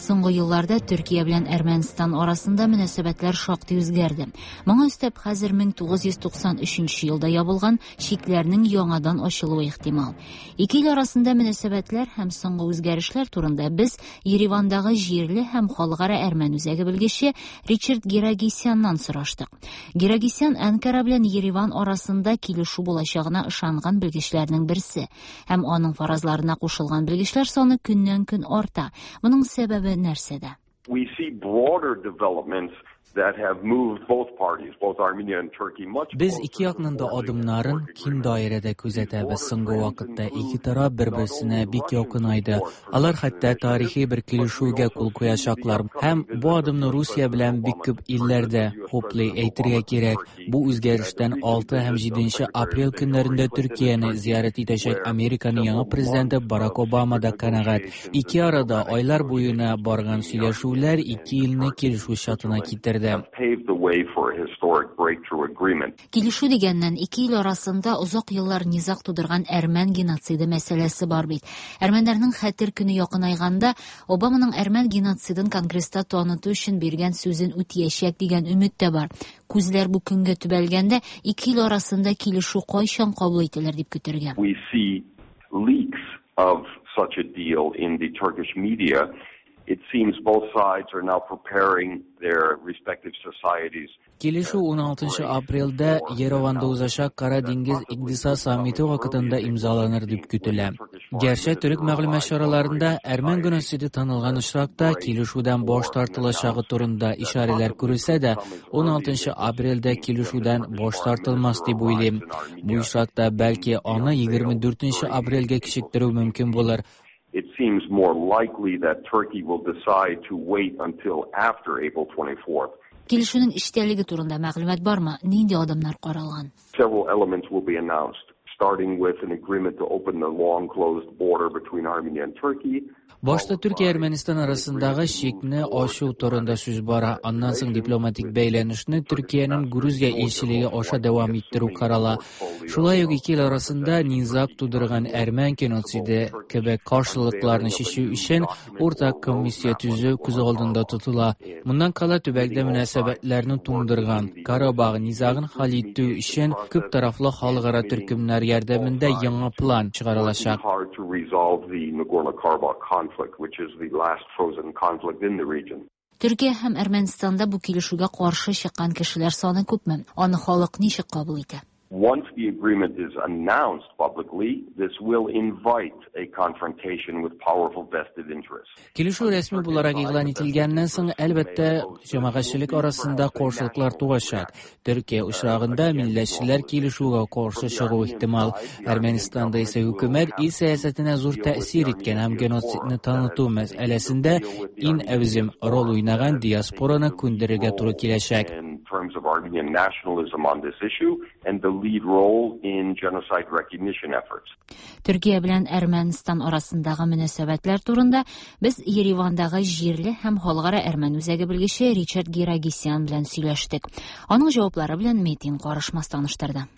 Соңгы елларда Төркия белән Әрмәнстан арасында мөнәсәбәтләр шактый үзгәрде. Моңа өстәп, хәзер 1993 елда ябылган чикләрнең яңадан ачылуы ихтимал. Ике ил арасында мөнәсәбәтләр һәм соңгы үзгәрешләр турында без Еревандагы җирле һәм халыкара әрмән үзәге белгече Ричард Гирагисяннан сораштык. Гирагисян Әнкара белән Ереван арасында килешү булачагына ышанган белгечләрнең берсе һәм аның фаразларына кушылган белгечләр саны көннән-көн арта. Моның сәбәбе нәрсәдә? We see broader developments that have moved both parties, both Armenia and Turkey, much Без ике якның да адымнарын киң даирәдә күзәтәбез. Соңгы вакытта ике тараф бер-берсенә бик якынайды. Алар хәтта тарихи бер килешүгә кул куячаклар. Һәм бу адымны Русия белән бик күп илләр дә хуплый, әйтергә кирәк. Бу үзгәрештән 6 һәм 7 апрель көннәрендә Төркияне зиярәт итәчәк Американың яңа президенты Барак Обама да канәгать. Ике арада айлар буена барган сөйләшүләр ике илне килешү чатына китерде. Килешү дигәннән, ике ил арасында озак еллар низаг тудырган әрмән геноциды мәсьәләсе бар бит. Әрмәннәрнең хәтер көне якынайганда, Обаманың әрмән геноцидын Конгресста таныту өчен биргән сүзен үтәячәк дигән өмет тә бар. Күзләр бу көнгә төбәлгәндә, ике ил арасында килешү кайчан кабул ителер дип көтәргә? We see leaks of such a deal in the Turkish media. It seems both sides are now preparing their respective societies. Килешү 16 апрельдә Ереванда узачак Кара диңгез икътисад саммиты вакытында имзаланыр дип көтелә. Гәрчә төрек мәгълүмат чараларында әрмән геноциды танылган очракта килешүдән баш тартылачагы турында ишарәләр күрелсә дә, 16 апрельдә килешүдән баш тартылмас дип уйлыйм. Бу очракта бәлки аны 24 апрельгә кичектерү мөмкин булыр. It seems more likely that Turkey will decide to wait until after April 24th. Килешүнең эчтәлеге турында мәгълүмат бармы? Нинди адымнар каралган? Several elements will be announced, starting with an agreement to open the long closed border between Armenia and Turkey. Башта Төркия Әрмәнстан арасындагы чикне ачу турында сүз бара. Аннан соң дипломатик бәйләнешне Төркиянең Грузия илчелеге аша дәвам иттерү карала. Шулай ук ике ил арасында низаг тудырган әрмән геноциды кебек каршылыкларны чишү өчен уртак комиссия төзү күз алдында тотыла. Моннан кала төбәктә мөнәсәбәтләрне туңдырган Карабах низагын хәл итү өчен күп тарафлы халыкара төркемнәр ярдәмендә яңа план чыгарылачак. Hard to resolve the Nagorno-Karabakh conflict, which is the last frozen conflict in the region. Төркия һәм Әрмәнстанда бу килешүгә каршы чыккан кешеләр саны күпме? Аны халык ничек кабул итә? Once the agreement is announced publicly, this will invite a confrontation with powerful vested interests. Килешү рәсми буларак игълан ителгәннән соң, әлбәттә, җәмәгатьчелек арасында каршылыклар туачак. Төркия очрагында милләтчеләр килешүгә каршы чыгу ихтимал. Әрмәнстанда исә хөкүмәт ил сәясәтенә зур тәэсир иткән һәм геноцидны таныту мәсьәләсендә иң әүзем роль уйнаган диаспораны күндерергә туры киләчәк. In terms of Armenian nationalism on this issue and the lead role in genocide recognition efforts. Төркия белән Әрмәнстан арасындагы мөнәсәбәтләр турында без Еревандагы җирле һәм халыкара әрмән үзәге белгече Ричард Гирагисян белән сөйләштек. Аның җаваплары белән Метин Карышмас таныштырды.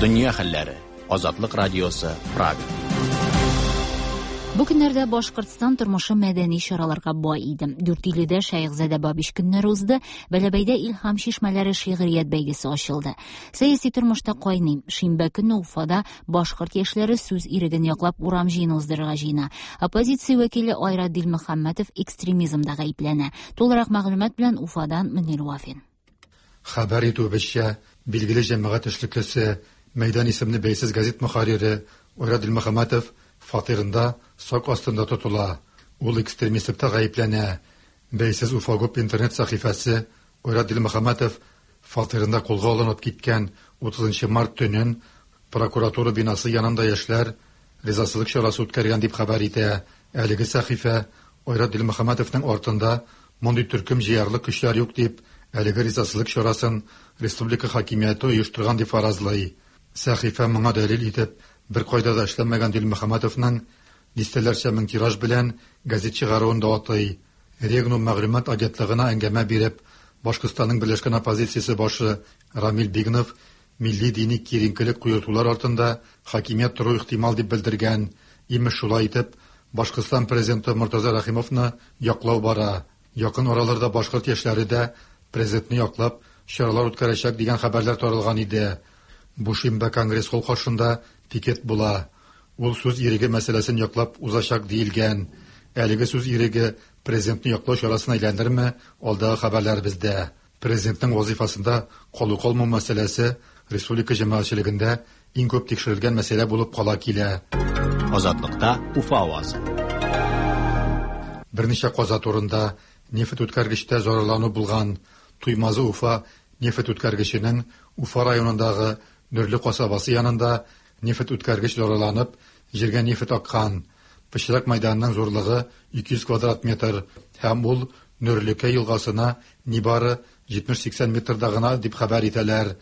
Дөнья хәлләре. Азатлык радиосы, Прага. Бу көннәрдә Башкортстан тормышы мәдәни чараларга бай иде. Дүртөйледә Шәехзадә Бабич көннәре узды, Бәләбәйдә Илһам чишмәләре шигърият бәйгесе ачылды. Сәяси тормышта кайный. Шимбә көнне Уфада башкорт яшьләре сүз иреген яклап урам җыены уздырырга җыена. Оппозиция вәкиле Айрат Дилмөхәммәтов экстремизмда гаепләнә. Тулырак мәгълүмат белән Уфадан Мөнир Вафин. Хәбәр итүебезчә, билгеле җәмәгать эшлеклесе, Мәйдан исемле бәйсез газет мөхәррире Айрат Дилмөхәммәтов фатирында сак астында тотыла. Ул экстремистлыкта гаепләнә. Бәйсез Уфагоп интернет сәхифәсе Айрат Дилмөхәммәтов фатирында кулга алынып киткән 30 март төнен прокуратура бинасы янында яшьләр ризасызлык чарасы үткәргән дип хәбәр итә. Әлеге сәхифә Айрат Дилмөхәммәтовның артында мондый төркем җыярлык көчләр юк дип, әлеге ризасызлык чарасын республика хакимияте оештырган дип фаразлый. Сәхифә моңа дәлил итеп, бер кайда да эшләмәгән Дилмөхәммәтовның дистәләрчә мең тираж белән газет чыгаруын да атый. Регнум мәгълүмат агентлыгына әңгәмә биреп, Башкортстанның берләшкән оппозициясе башы Рамил Бигнов милли дини киеренкелек куертулар артында хакимият тору ихтимал дип белдергән. Имеш шулай итеп, Башкортстан президенты Мортаза Рәхимовны яклау бара. Якын араларда башкорт яшьләре дә президентны яклап чаралар үткәрәчәк дигән хәбәрләр таралган иде. Бу шимбә Конгресс-холл каршында пикет була. Ул сүз иреге мәсьәләсен яклап узачак диелгән. Әлеге сүз иреге президентны яклау чарасына әйләнерме, алдагы хәбәрләр бездә. Президентның вазифасында калу-калмау мәсьәләсе республика җәмәгатьчелегендә иң күп тикшерелгән мәсьәлә булып кала килә. Азатлыкта Уфа авазы. Берничә каза турында нефть үткәргечтә зарарлану булган. Туймазы Уфа нефть үткәргеченең Уфа районындагы Нөрле касабасы янында нефть үткәргеч зарарланып, җиргә нефть аккан. Пычрак мәйданының зурлыгы 200 квадрат метр һәм ул Нөрлекә елгасына нибары 70-80 метрда гына дип хәбәр итәләр.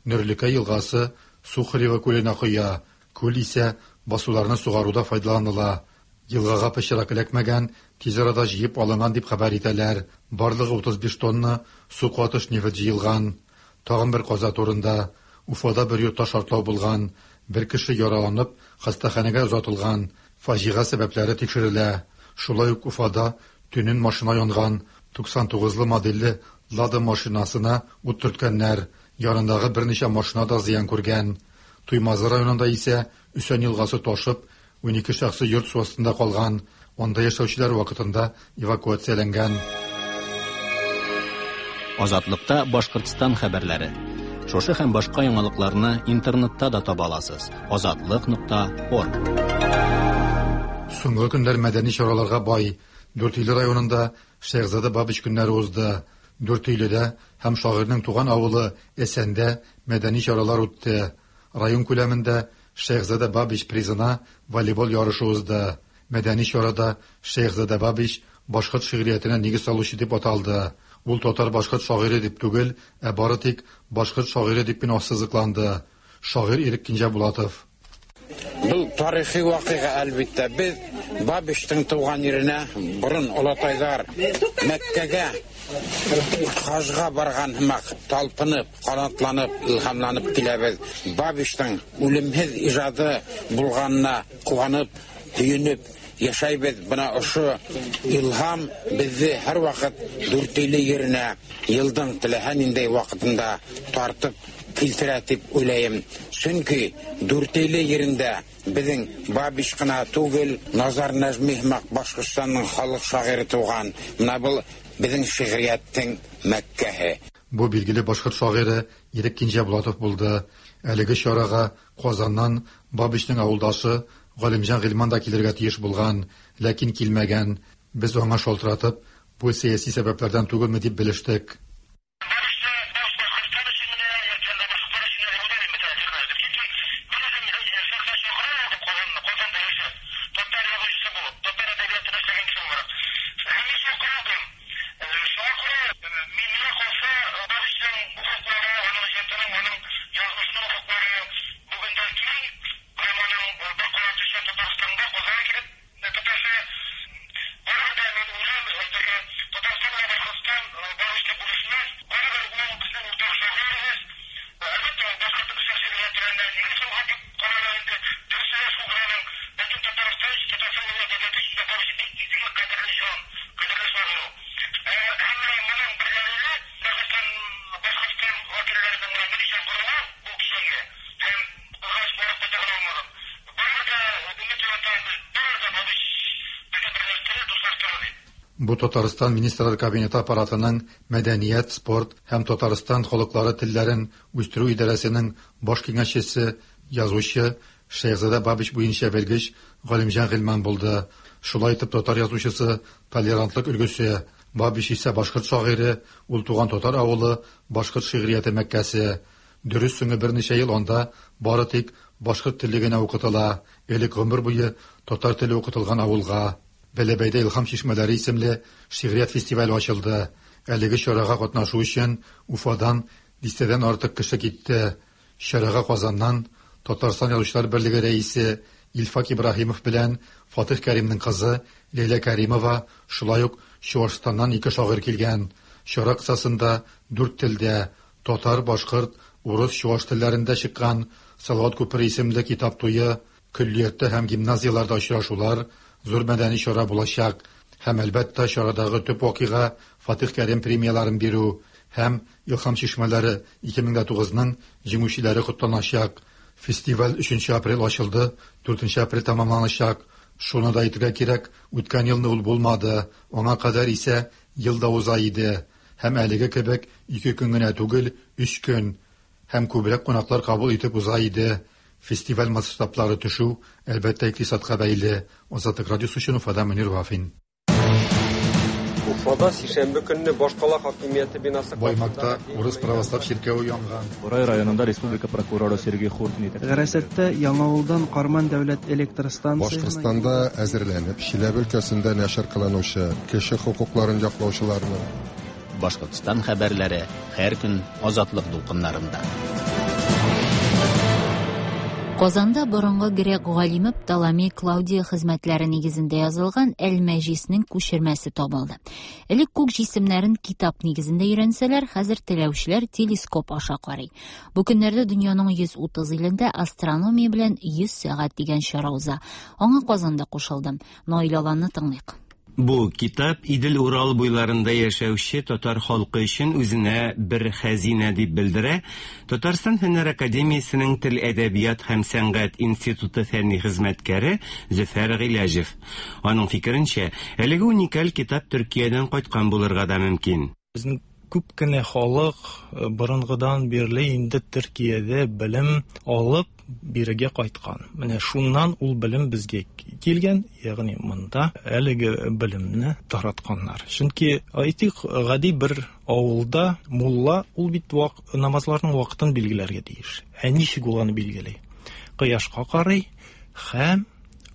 Нөрлекә елгасы Сухарево күленә коя. Күл исә басуларны сугаруда файдаланыла. Елгага пычрак эләкмәгән, тиз арада җыеп алынган дип хәбәр итәләр. Барлыгы 35 тонна су катыш нефть җыелган. Тагын бер каза турында. Уфада бер йортта шартлау булган. Бер кеше яраланып, хастаханәгә озатылган. Фаҗига сәбәпләре тикшерелә. Шулай ук Уфада төнен машина янган. 99-лы модельле Лада машинасына ут төрткәннәр. Янындагы берничә машина да зыян күргән. Туймазы районында исә Өсән елгасы ташып, 12 шәхси йорт су астында калган. Анда яшәүчеләр вакытында эвакуацияләнгән. Азатлыкта Башкортстан хәбәрләре. Шушы һәм башка яңалыкларны интернетта да таба аласыз. Азатлык.орг. Соңгы көннәр мәдәни чараларга бай. Дүртөйле районында Шәехзада Бабич көннәре узды. Дүртөйледә һәм шагыйрьнең туган авылы Әсәндә мәдәни чаралар үтте. Район күләмендә Шәехзада Бабич призына волейбол ярышы узды. Мәдәни чарада Шәехзада Бабич башкорт шигъриятенә нигез салучы дип аталды. Ул татар-башкорт шагыйре дип түгел, ә бары тик башкорт шагыйре дип кенә ассызыкланды. Шагыйрь Ирек Кинҗәбулатов. Был тарихи вакыйга, әлбиттә. Без Бабичтың туган еренә борын олатайлар Мәккәгә хаҗга барган һымак талпынып, канатланып, илһамланып киләбез. Бабичтың үлемһеҙ ижады булғанына ҡыуанып, һөйөнөп яшәйбеҙ. Бына ошо илһам беҙҙе һәр ваҡыт Дүртөйлө еренә йылдың теләһә ниндәй ваҡытында тартып килтерә тип уйлайым. Сөнки Дүртөйлө ерендә беҙҙең Бабич ҡына түгел, Назар Нәжми һымаҡ Башҡортостандың халыҡ шағиры тыуған. Бына был беҙҙең шиғриәттең Мәккәһе. Бу билгеле башкорт шагыйре Ирек Кинҗәбулатов булды. Әлеге чарага Казаннан Бабичның авылдашы Галимҗан Гыйльман да килергә тиеш булган, ләкин килмәгән. Без аңа шалтыратып, бу сәяси сәбәпләрдән түгелме дип белештек. Бу Татарстан Министрлар Кабинеты аппаратының Мәдәният, спорт һәм Татарстан халыклары телләрен үстерү идарәсенең баш киңәшчесе, язучы Шәехзадә Бабич буенча белгеч Галимҗан Гыйльман булды. Шулай итеп, татар язучысы толерантлык өлгесе, Бабич исә башкорт шагыйре, ул туган татар авылы, башкорт шигърияте мәккәсе. Дөрес, соңгы берничә ел анда бары тик башкорт теле генә укытыла, элек гомер буе татар теле укытылган авылга. Бәләбәйдә Илһам чишмәләре исемле шигърият фестивале ачылды. Әлеге чарага катнашу өчен Уфадан дистәдән артык кеше китте. Чарага Казаннан Татарстан Язучылар берлеге рәисе Илфак Ибраһимов белән Фатих Кәримнең кызы Ләйлә Кәримова, шулай ук Чуашстаннан ике шагыйрь килгән. Чара кысасында дүрт телдә, татар, башкорт, урыс, чуаш телләрендә чыккан Салават күпере исемле китап туе, көллияттә һәм гимназияләрдә очрашулар, зур мәдәни чара булачак. Һәм, әлбәттә, чарадагы төп вакыйга, Фатих Кәрим премияләрен бирү һәм Илһам чишмәләре 2009 ның җиңүчеләре котланачак. Фестиваль өченче апрель ачылды, дүртенче апрель тәмамланачак. Шуны да әйтергә кирәк, үткән елны ул булмады, аңа кадәр исә ел да уза иде. Һәм әлеге кебек ике көн генә түгел, өч көн. Һәм күбрәк кунаклар кабул итеп уза иде. Фестиваль масштаблары төшү, әлбәттә, икътисадка бәйле. Азатлык радиосы өчен Уфадан Мөнир Вафин. Уфада сишәмбе көнне башкала хакимияте бинасы Баймакта урыс православ чиркәве янган. Борай районында республика прокуроры Сергей Хуртин итәкчелегендәге. Гарәсәттә Яңавылдан Карман дәүләт электр станциясенә Башкортстанда әзерләнеп, Чиләбе өлкәсендә нәшер кылынучы кеше хокукларын яклаучыларның, Башкортстан хәбәрләре һәр көн Азатлык дулкыннарында. Казанда борынгы грек галиме Птоломей Клаудий хезмәтләре нигезендә язылган Әл-Мәҗиснең күчермәсе табылды. Элек күк җисемнәрен китап нигезендә өйрәнсәләр, хәзер теләүчеләр телескоп аша карый. Бу көннәрдә дөньяның 130 илендә астрономия белән 100 сәгать дигән чара уза. Аңа Казан да кушылды. Наил Аланны тыңлыйк. Бу китап Идел-Урал буйларында яшәүче татар халкы өчен үзенә бер хәзинә, дип белдерә Татарстан Фәннәр академиясенең Тел-әдәбият һәм сәнгать институты фәнни хезмәткәре Зөфәр Гыйләҗев. Аның фикеренчә, әлеге уникаль китап Төркиядән кайткан булырга да мөмкин. Безнең күп кенә халык э, борынгыдан бирле инде Төркиядә белем алып бирегә кайткан. Менә шуннан ул белем безгә килгән, ягъни монда әлеге белемне таратканнар. Чөнки әйтик, гади бер авылда мулла ул бит вак, намазларның вакытын билгеләргә тиеш. Ә ничек ул аны билгели? Кояшка карый һәм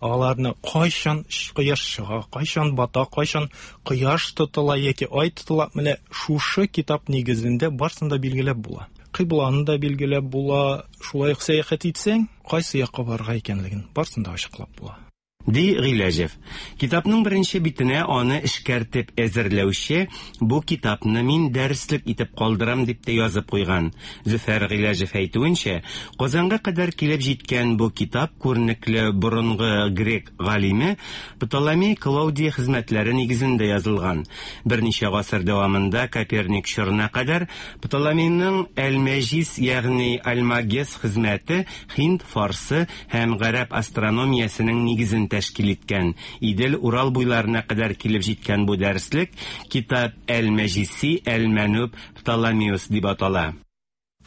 Аларны кайчан кояш чыга, кайчан бата, кайчан кояш тотыла яки ай тотыла, менә шушы китап нигезендә барсын да билгеләп була. Кыйбланы да билгеләп була, шулай ук сәяхәт итсәң, кайсы якка барырга икәнлеген барсын да ачыклап була. Ди Гыйләҗев. Китапның беренче битенә аны эшкәртеп әзерләүче Бу китапны мин дәреслек итеп калдырам дип тә язып куйган. Зөфәр Гыйләҗев әйтүенчә, Казанга кадәр килеп җиткән бу китап күренекле борынгы грек галиме Птоломей Клаудий хезмәтләре нигезендә язылган. Берничә гасыр дәвамында Коперник чорына кадәр Птоломейның Әл-Мәҗис, ягъни Альмагес хезмәте һинд, фарсы һәм гарәп астрономиясенең нигезен тәшкил иткән. Идел-Урал буйларына кадәр килеп җиткән бу дәреслек Китап әл-Мәҗиси әл-Мәнүб Птоломеус дип атала.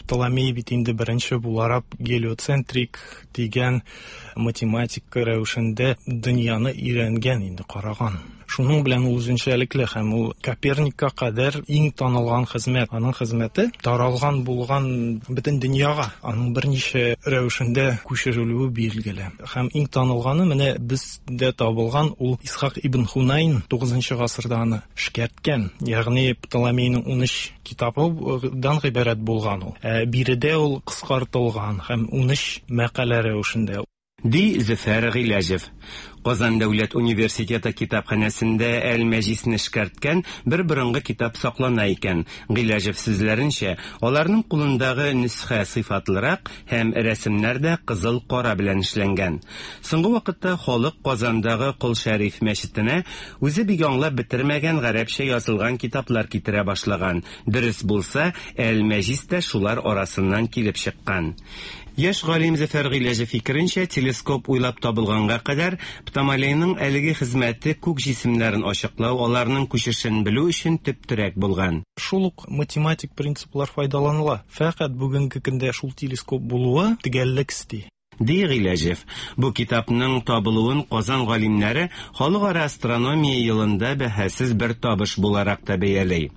Птоломей бит инде беренче буларак гелиоцентрик дигән математика рәвешендә дөньяны өйрәнгән инде, караган. Шуның белән ул үзенчәлекле һәм ул Коперникка кадәр иң танылган хезмәт. Аның хезмәте таралган булган бөтен дөньяга. Аның берничә рәвешендә күчерелүе билгеле. Һәм иң танылганы менә бездә табылган ул Исхак ибн Хунайн 9 гасырда аны эшкәрткән. Ягъни Птоломейның 13 китабыдан гыйбарәт булган ул. Ә биредә ул кыскартылган һәм 13 мәкалә рәвешендә. Ди Зөфәр Гыйләҗев. Казан дәүләт университеты китапханәсендә Әл-Мәҗисне эшкәрткән бер борынгы китап саклана икән. Гыйләҗев сүзләренчә, аларның кулындагы нөсхә сыйфатлырак һәм рәсемнәр дә кызыл-кара белән эшләнгән. Соңгы вакытта халык Казандагы Кол Шәриф мәчетенә үзе бик аңлап бетермәгән гарәпчә язылган китаплар китерә башлаган. Дөрес булса, Әл-Мәҗис тә шулар арасыннан килеп чыккан. Яшь галим Зөфәр Гыйләҗев фикеренчә, телескоп уйлап табылганга кадәр Птомалейның әлеге хезмәте күк җисемнәрен ачыклау, аларның күчешен белү өчен төп терәк булган. Шул ук математик принциплар файдаланыла. Фәкать бүгенге көндә шул телескоп булуы төгәллек өсти. Ди Гыйләҗев. Бу китапның табылуын Казан галимнәре Халыкара астрономия елында бәһасез бер табыш буларак та бәяли.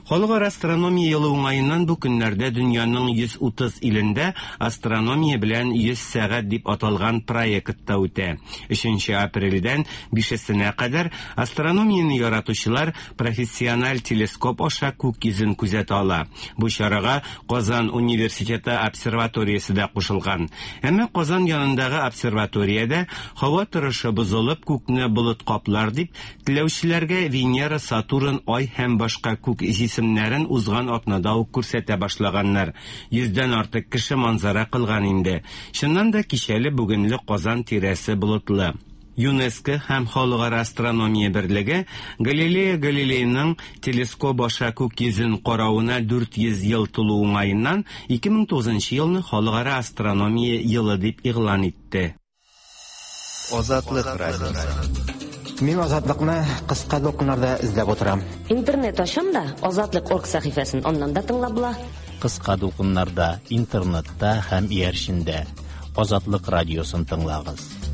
Халыкара астрономия елы уңаеннан бу көннәрдә дөньяның 130 илендә Астрономия белән 100 сәгать дип аталган проект та үтә. Өченче апрельдән бишесенә кадәр астрономияне яратучылар профессиональ телескоп аша күк йөзен күзәтә ала. Бу чарага Казан университеты обсерваториясе дә кушылган. Әмма Казан янындагы обсерваториядә һава торышы бозылып, күкне болыт каплар дип, теләүчеләргә Венера, Сатурн, Ай һәм башка күк җисемнәрен узган атнада ук күрсәтә башлаганнар. Йөздән артык кеше манзара кылган инде. Чыннан да кичәле-бүгенле Казан тирәсе болытлы. ЮНЕСКО һәм Халыкара астрономия берлеге Галилео Галилейның телескоп аша күк йөзен каравына 400 ел тулу уңаеннан 2009 елны Халыкара астрономия елы дип игълан итте. Азатлык радиосы. Мин Азатлыкны кыска дулкыннарда эзләп утырам. Интернет ачам да, Азатлык орг сәхифәсен аннан да тыңлап була. Кыска дулкыннарда, интернетта һәм иярчендә. Азатлык радиосын тыңлагыз.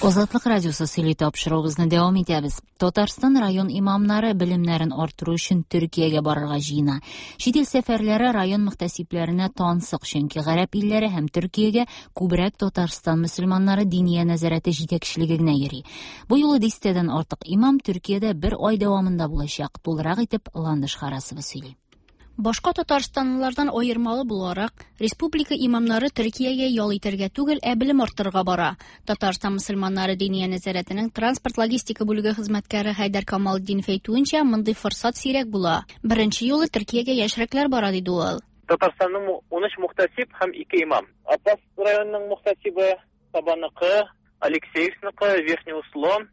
Азатлык радиосы сөйли тапшыруыбызны дәвам итәбез. Татарстан район имамнары белемнәрен арттыру өчен Төркиягә барырга җыена. Чит ил сәфәрләре район мөхтәсибләренә тансык, чөнки гарәп илләре һәм Төркиягә күбрәк Татарстан мөселманнары диния нәзарәте җитәкчелеге генә йөри. Бу юлы дистәдән артык имам Төркиядә бер ай дәвамында булачак. Тулырак итеп Ландыш Харасова сөйли. Башка татарстанлылардан аермалы буларак, республика имамнары Төркиягә ял итәргә түгел, ә белем арттырырга бара. Татарстан мөселманнары Диния нәзарәтенең транспорт-логистика бүлеге хезмәткәре Хәйдәр Камалтдинов әйтүенчә, мондый форсат сирәк була. Беренче юлы Төркиягә яшьрәкләр бара, диде ул. Татарстанның 13 мөхтәсиб һәм 2 имам. Апас районының мөхтәсибе, Сабаныкы, Алексеевскныкы, Верхний Услон,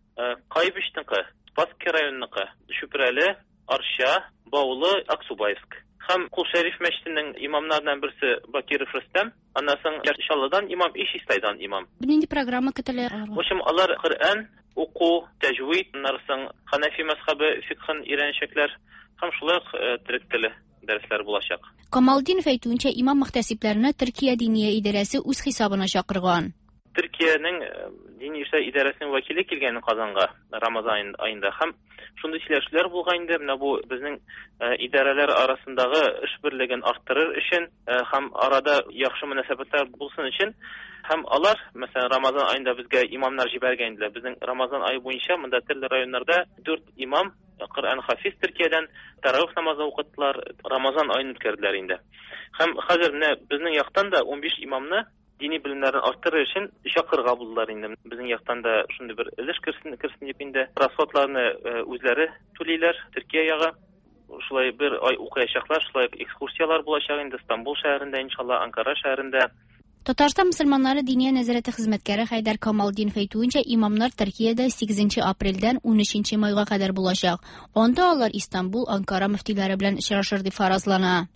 Кайбычныкы, Спасский районыныкы, Чүпрәле, Арча, Баулы, Аксубаевск. Һәм Кол Шәриф мәчетенең имамнарыннан берсе Бакиров Рөстәм, аннан соң Яр Чаллыдан имам и Чистайдан имам. Нинди программа көтелә? В общем, алар Коръән уку, тәҗвид, аннан соң Хәнәфи мәзхәбе фикхын өйрәнәчәкләр һәм шулай ук төрек теле дәресләре булачак. Камалтдинов әйтүенчә, имам-мөхтәсибләрне Төркия Диния идарәсе үз хисабына чакырган. Төркиянең дини эшләр идарәсенең вәкиле килгән Казанга Рамазан аенда һәм шундый сөйләшүләр булган инде, менә бу безнең идарәләр арасындагы эш берлеген арттырыр өчен һәм арада яхшы мөнәсәбәтләр булсын өчен һәм алар, мәсәлән, Рамазан аенда безгә имамнар җибәргән иделәр. Безнең Рамазан ае буенча монда төрле районнарда дүрт имам Коръән хафиз Төркиядән таравих намазы укыттылар, Рамазан аен үткәрделәр инде. Һәм хәзер менә безнең яктан да 15 имамны Дини белемнәрен арттырыр өчен чакырырга булдылар инде. Безнең яктан да шундый бер өлеш керсен, керсен дип инде. Расходларны э, үзләре түлиләр, Төркия ягы. Шулай бер ай укыячаклар, шулай экскурсияләр булачак инде Стамбул шәһәрендә, иншалла, Анкара шәһәрендә. Татарстан мөселманнары Диния нәзарәте хезмәткәре Хәйдәр Камалтдинов әйтүенчә, имамнар Төркиядә 8 апрельдән 13 майга кадәр булачак. Анда алар Истанбул, Анкара мөфтиләре белән очрашыр дип фаразлана.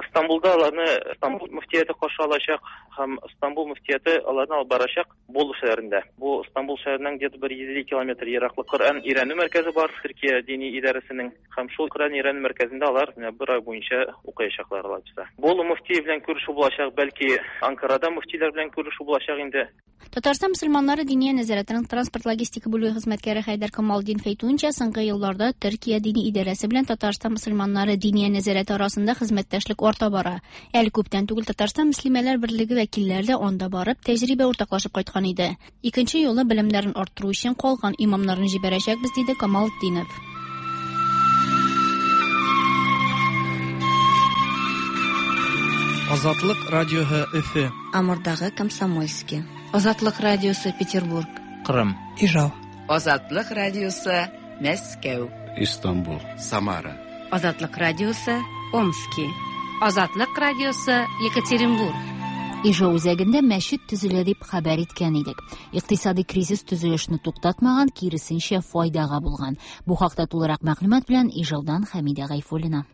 Стамбулда аларны Стамбул мөфтияте каршы алачак һәм Стамбул мөфтияте аларны алып барачак Болу шәһәрендә. Бу Стамбул шәһәреннән где-то бер 150 километр ераклык Коръән өйрәнү мәркәзе бар Төркия дини идарәсенең һәм шул Коръән өйрәнү мәркәзендә алар менә бер ай буенча укыячаклар алайса. Болу мөфтие белән күрешү булачак, бәлки Анкарада мөфтиләр белән күрешү булачак инде. Татарстан мөселманнары Диния нәзарәтенең транспорт-логистика бүлеге хезмәткәре Хәйдәр Камалтдинов әйтүенчә, соңгы елларда Төркия дини идарәсе белән Татарстан мөселманнары Диния нәзарәте арасында хезмәттәшлек арта бара. Әле күптән түгел Татарстан мөслимәләр берлеге вәкилләре дә анда барып, тәҗрибә уртаклашып кайткан иде. Икенче юлы белемнәрен арттыру өчен калган имамнарны җибәрәчәкбез, диде Камалтдинов. Азатлык радиоһы Өфе. Амурдагы Комсомольский. Азатлык радиосы Петербург. Кырым. Ижау. Азатлык радиосы Мәскәү. Истанбул. Самара. Азатлык радиосы Омски. Азатлык радиосы Екатеринбург. Ижау үзәгендә мәчет төзелә дип хәбәр иткән идек. Икътисади кризис төзелешне туктатмаган, киресенчә, файдага булган. Бу хакта тулырак мәгълүмат белән Ижаудан Хәмидә Гайфуллина.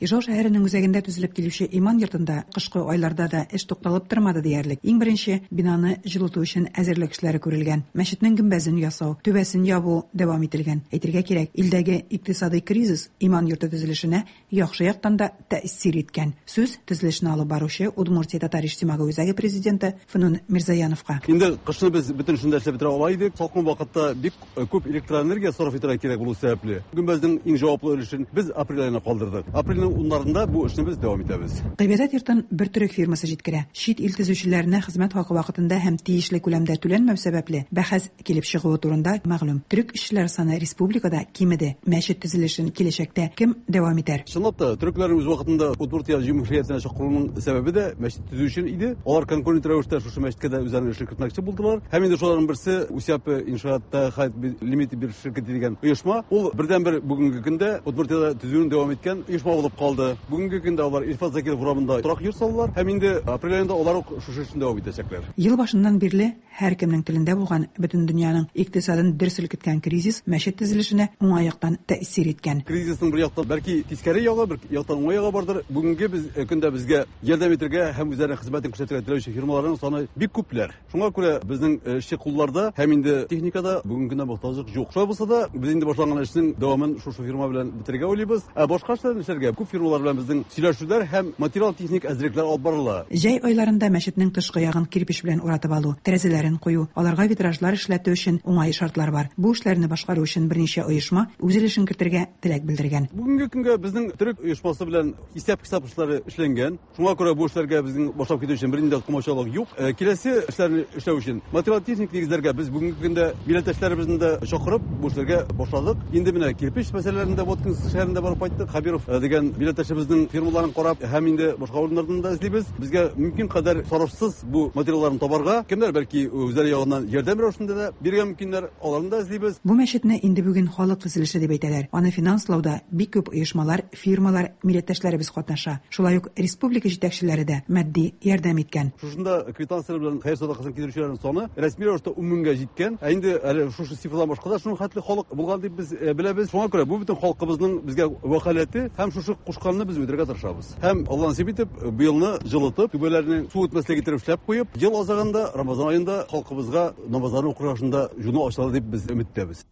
Ижау шәһәренең үзәгендә төзелеп килүче Иман йортында кышкы айларда да эш тукталып тормады диярлек. Иң беренче бинаны җылыту өчен әзерлек эшләре күрелгән. Мәчетнең гөмбәзен ясау, түбәсен ябу дәвам ителгән. Әйтергә кирәк, илдәге икътисадый кризис Иман йорты төзелешенә яхшы яктан да тәэсир иткән. Сүз, төзелешне алып баручы Удмуртия татар иҗтимагый үзәге президенты Фнүн Мирзаяновка. Инде кышны без бөтен эшне дә эшләп бетерә ала идек. Салкын вакытта бик күп электроэнергия сарыф итәргә кирәк булу сәбәпле, гөмбәзнең иң җаваплы өлешен без апрель аена калдырдык. Апрельнең уннарында бу эшне без дәвам итәбез. Гыйбадәт йортын бер төрек фирмасы җиткерә. Чит ил төзүчеләренә хезмәт хакы вакытында һәм тиешле күләмдә түләнмәү сәбәпле, бәхәс килеп чыгуы турында мәгълүм. Төрек эшчеләре саны республикада кимеде. Мәчет төзелешен киләчәктә кем дәвам итәр? Чынлап та, төрекләрнең үз вакытында Удмуртия җөмһүриятенә чакыруының сәбәбе дә мәчет төзү өчен иде. Алар конкурент рәвештә шушы мәчеткә дә үзләренең эшен кертмәкче булдылар. Һәм инде шуларның берсе Усяпы иншаат Тәхайт Лимитед бир ширкәте дигән оешма. Ул бердәнбер бүгенге көндә Удмуртиядә төзүен дәвам иткән оешма булып калды. Бүгенге көндә алар Илфат Закиров урамында торак йорт салалар һәм инде апрель аенда алар ук шушы эшне дәвам итәчәкләр. Ел башыннан бирле һәркемнең телендә булган, бөтен дөньяның икътисадын дер селкеткән кризис мәчет төзелешенә уңай яктан тәэсир иткән. Кризисның бер яктан бәлки тискәре ягы, бер яктан уңай ягы бардыр. Бүгенге без э, көндә безгә ярдәм итәргә һәм үзләренең хезмәтен күрсәтергә теләүче фирмаларның саны бик күпләр. Шуңа күрә безнең э, эшче кулларда һәм инде техникада бүгенге көндә мохтаҗлык юк. Шулай булса да, без инде башланган эшнең дәвамын шушы фирма белән бетерергә уйлыйбыз. Ә башка эшләрне эшләргә күп фирмалар белән безнең сөйләшүләр һәм материал-техник әзерлекләр алып барыла. Җәй айларында мәчетнең тышкы ягын кирпеч белән уратып алу, тәрәзәләрен кую, аларга витражлар эшләтү өчен уңай шартлар бар. Бу эшләрне башкару өчен берничә оешма үз өлешен кертергә теләк белдергән. Бүгенге көнгә безнең төрек оешмасы белән исәп-хисап эшләре эшләнгән. Шуңа күрә бу эшләргә безнең башлап китү өчен бернинди дә комачаулык юк. Э, киләсе эшләрне эшләү өчен материал-техник нигезләргә без бүгенге көндә милләттәшләребезне дә чакырып, бу эшләргә башладык. Инде менә кирпеч мәсьәләләрендә Воткинск шәһәрендә барып кайттык. Хабиров э, дигән милләттәшебезнең фирмаларын карап һәм инде башка урыннардан да эзлибез. Безгә мөмкин кадәр сарыфсыз бу материалларны табарга, кемнәр бәлки үзләре ягыннан ярдәм рәвешендә дә бирергә мөмкиннәр, аларны да эзлибез. Бу мәчетне инде бүген халык төзелеше дип әйтәләр. Аны финанслауда бик күп оешмалар, фирмалар, милләттәшләребез катнаша. Шулай ук республика җитәкчеләре дә матди ярдәм иткән. Шушында квитанцияләр белән хәер садакасын китерүчеләрнең саны рәсми рәвештә ун меңгә җиткән. Ә инде әле шушы цифрадан башка да шуның хәтле халык булган дип без э, беләбез. Шуңа күрә бу бөтен халкыбызның безгә вәкаләте һәм шушы кушканны без үтәргә тырышабыз. Һәм Алла насыйп итеп, быелны җылытып, түбәләрне су үтмәслек итеп эшләп куеп, ел азагында Рамазан аенда халкыбызга намазларны укырга шунда җуну ачылыр дип без өметтәбез.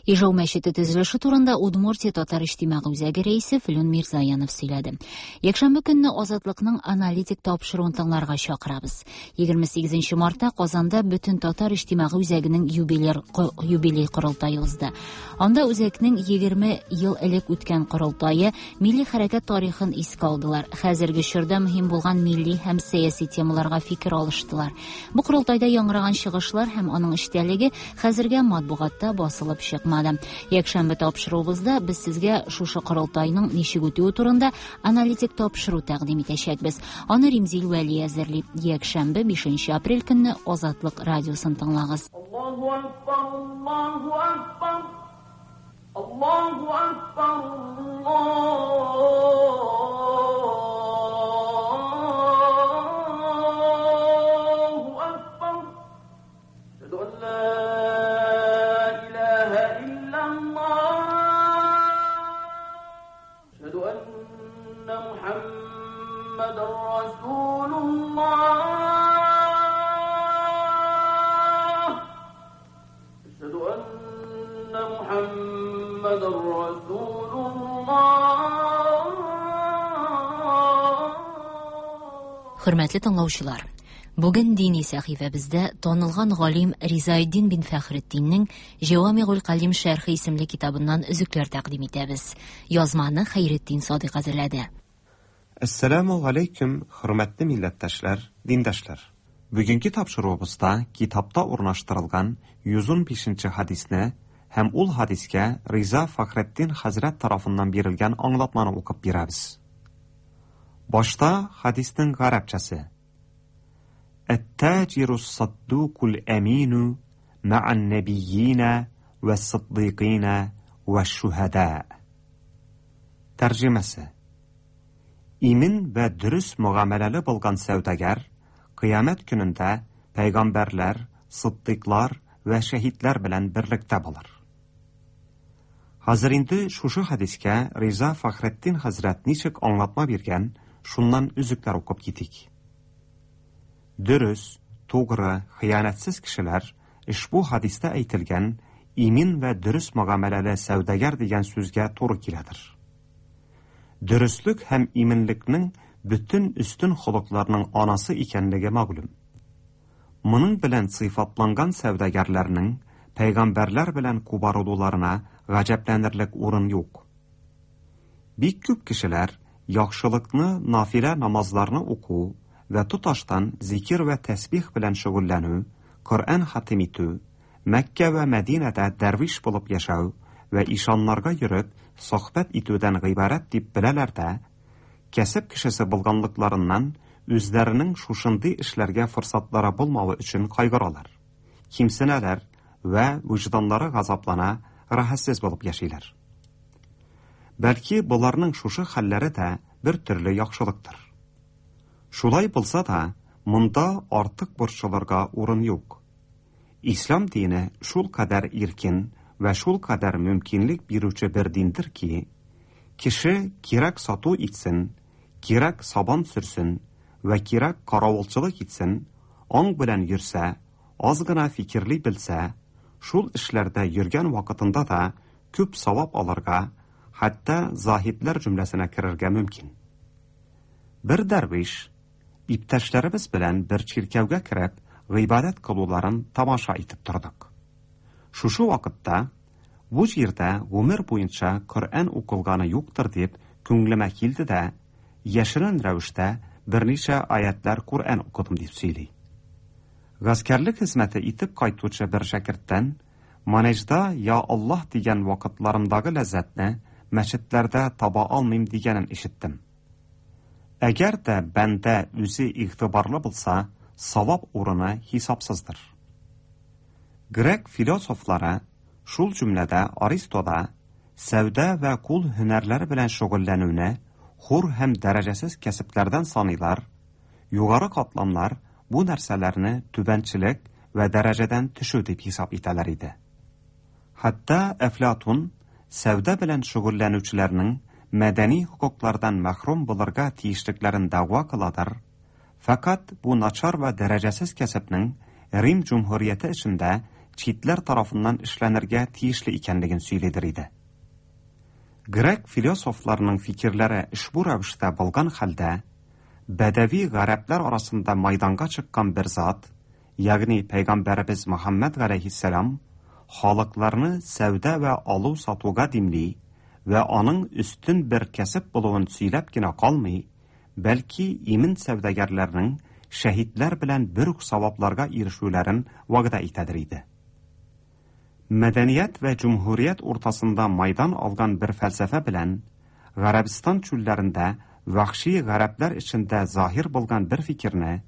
Ижау мәчете төзелеше турында Удмуртия татар иҗтимагый үзәге рәисе Флүн Мирзаянов сөйләде. Якшәмбе көнне Азатлыкның аналитик тапшыруын тыңларга чакырабыз. 28 мартта Казанда бөтен татар иҗтимагый үзәгенең юбилей юбилей корылтае узды. Анда үзәкнең 20 ел элек үткән корылтае милли хәрәкәт тарихын искә алдылар. Хәзерге чорда мөһим булган милли һәм сәяси темаларга фикер алыштылар. Бу корылтайда яңгыраган чыгышлар һәм аның эчтәлеге хәзергә матбугатта басылып чыкмады. Якшәмбе тапшыруыбызда без сезгә шушы корылтайның ничек үтүе турында аналитик тапшыру тәкъдим итәчәкбез. Аны Римзил Вәли әзерли. Якшәмбе 5 апрель көнне Азатлык радиосын тыңлагыз. Аллаһу акбар, Аллаһу акбар, Аллаһу акбар, Аллаһу акбар. Әшһәду ан ла илаһа иллаллаһ. Әшһәду анна Мухаммадан расулуллаһ. Әшһәду анна Мухаммадан расулуллаһ. Хөрмәтле тыңлаучылар, бүген дини сәхифәбездә танылган галим Ризаэддин бин Фәхретдиннең Җәвамигуль Калим шәрхе исемле китабыннан өзекләр тәкъдим итәбез. Язманы Хәйретдин Садыйк әзерләде. Әссәламү галәйкүм, хөрмәтле милләттәшләр, диндәшләр! Бүгенге тапшыруыбызда китапта урнаштырылган 115 нче хәдисне һәм ул хәдискә Риза Фәхретдин хәзрәт тарафыннан бирелгән аңлатманы укып бирәбез. Башта хәдиснең гарәпчәсе. Әт-таҗирус-саддукул әмину мә'ан-нәбиййина вәс-сиддикыйна вәш-шүһәдә. Тәрҗемәсе. Имин вә дөрес мөгамәләле булган сәүдәгәр Кыямәт көнендә пәйгамбәрләр, сыддыйклар вә шәһидләр белән берлектә булыр. Хәзер инде шушы хәдискә Риза Фәхретдин хәзрәт ничек аңлатма биргән, шуннан өзекләр укып китик. Дөрес, тугры, хыянәтсез кешеләр ошбу хәдистә әйтелгән имин вә дөрес мөгамәләле сәүдәгәр дигән сүзгә туры киләдер. Дөреслек һәм иминлекнең бөтен өстен холыкларның анасы икәнлеге мәгълүм. Моның белән сыйфатланган сәүдәгәрләрнең пәйгамбәрләр белән кубарылуларына гаҗәпләнерлек урын юк. Бик күп кешеләр яхшылыкны нафилә намазларны уку вә тоташтан зикер вә тәсбих белән шөгыльләнү, Коръән хатим итү, Мәккә вә Мәдинәдә дәрвиш булып яшәү вә ишаннарга йөреп, сохбәт итүдән гыйбарәт дип беләләр дә, кәсеп кешесе булганлыкларыннан үзләренең шушындый эшләргә форсатлары булмавы өчен кайгыралар, кимсенәләр вә вөҗданнары газаплана, рәхәтсез булып яшиләр. Бәлки, боларның шушы хәлләре дә бер төрле яхшылыктыр. Шулай булса да, монда артык борчылырга урын юк. Ислам дине шулкадәр иркен вә шулкадәр мөмкинлек бирүче бер диндер ки, кеше кирәк сату итсен, кирәк сабан сөрсен вә кирәк каравылчылык итсен, аң белән йөрсә, аз гына фикерли белсә, шул эшләрдә йөргән вакытында да күп савап алырга, хәтта заһидләр җөмләсенә керергә мөмкин. Бер дәрвиш, иптәшләребез белән бер чиркәүгә кереп, гыйбадәт кылуларын тамаша итеп тордык. Шушы вакытта, бу җирдә гомер буенча Коръән укылганы юктыр дип күңелемә килде дә, яшерен рәвештә берничә аятьләр Коръән укыдым дип сөйли. Гаскәрлек хезмәте итеп кайтучы бер шәкерттән манежда Я Аллаһ дигән вакытларымдагы ләззәтне мәчетләрдә таба алмыйм дигәнен ишеттем. Әгәр дә бәндә үзе игътибарлы булса, савап урыны хисапсыздыр. Грек философлары, шул җөмләдә Аристо да, сәүдә вә кул һөнәрләре белән шөгыльләнүне хур һәм дәрәҗәсез кәсепләрдән саныйлар, югары катламнар бу нәрсәләрне түбәнчелек вә дәрәҗәдән төшү дип хисап итәләр иде. Хәтта Әфлатун сәүдә белән шөгыльләнүчеләрнең мәдәни хокуклардан мәхрүм булырга тиешлекләрен дәгъва кыладыр, фәкать бу начар вә дәрәҗәсез кәсепнең Рим җөмһүрияте эчендә читләр тарафыннан эшләнергә тиешле икәнлеген сөйлидер иде. Грек философларының фикерләре ошбу рәвештә булган хәлдә, бәдәви гарәпләр арасында майданга чыккан бер зат, ягъни пәйгамбәребез Мөхәммәд галәйһиссәлам халыкларны сәүдә вә алу-сатуга димли вә аның өстен бер кәсеп булуын сөйләп кенә калмый, бәлки имин сәүдәгәрләрнең шәһидләр белән бер үк савапларга ирешүләрен вәгъдә итәдер иде. Мәдәният вә җөмһүрият уртасында майдан алган бер фәлсәфә белән Гарәбстан чүлләрендә вәхши гарәпләр эчендә заһир булган бер фикерне,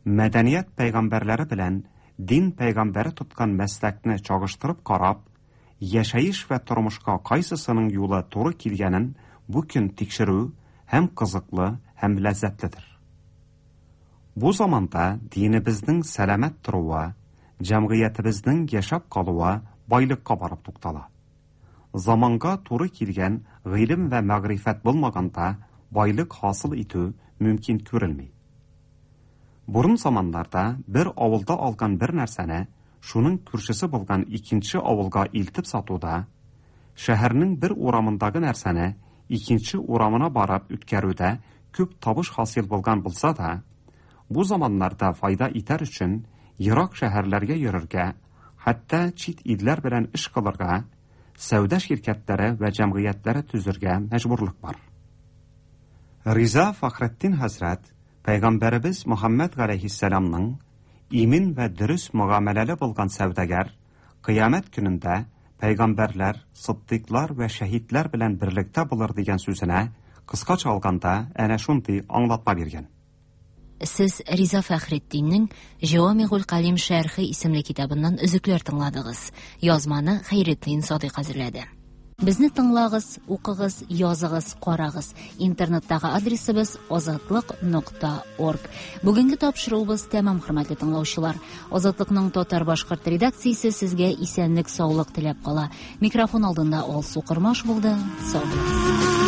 мәдәният пәйгамбәрләре белән дин пәйгамбәре тоткан мәсләкне чагыштырып карап, яшәеш вә тормышка кайсысының юлы туры килгәнен бу көн тикшерү һәм кызыклы, һәм ләззәтледер. Бу заманда динебезнең сәламәт торуы, җәмгыятебезнең яшәп калуы байлыкка барып туктала. Заманга туры килгән гыйлем вә мәгърифәт булмаганда байлык хасил итү мөмкин күрелми. Борын заманнарда бер авылда алган бер нәрсәне шуның күршесе булган икенче авылга илтеп сатуда, шәһәрнең бер урамындагы нәрсәне икенче урамына барып үткәрүдә күп табыш хасил булган булса да, бу заманнарда файда итәр өчен ерак шәһәрләргә йөрергә, хәтта чит илләр белән эш кылырга, сәүдә ширкәтләре вә җәмгыятьләре төзергә мәҗбүрлек бар. Риза Фәхретдин хәзрәт пәйгамбәребез Мөхәммәд галәйһиссәламның имин вә дөрес мөгамәләле булган сәүдәгәр кыямәт көнендә пәйгамбәрләр, сыддыйклар вә шәһидләр белән берлектә булыр дигән сүзенә кыскача алганда әнә шундый аңлатма биргән. Сез Риза Фәхретдиннең Җавамигуль Калим шәрхе исемле китабыннан өзекләр тыңладыгыз. Язманы Хәйретдин Садыйк әзерләде. Безне тыңлагыз, укыгыз, языгыз, карагыз. Интернеттагы адресыбыз азатлык нокта орг. Бүгенге тапшыруыбыз тәмам, хөрмәтле тыңлаучылар. Азатлыкның татар-башкорт редакциясе сезгә исәнлек-саулык теләп кала. Микрофон алдында Алсу Кормаш булды. Сау булыгыз.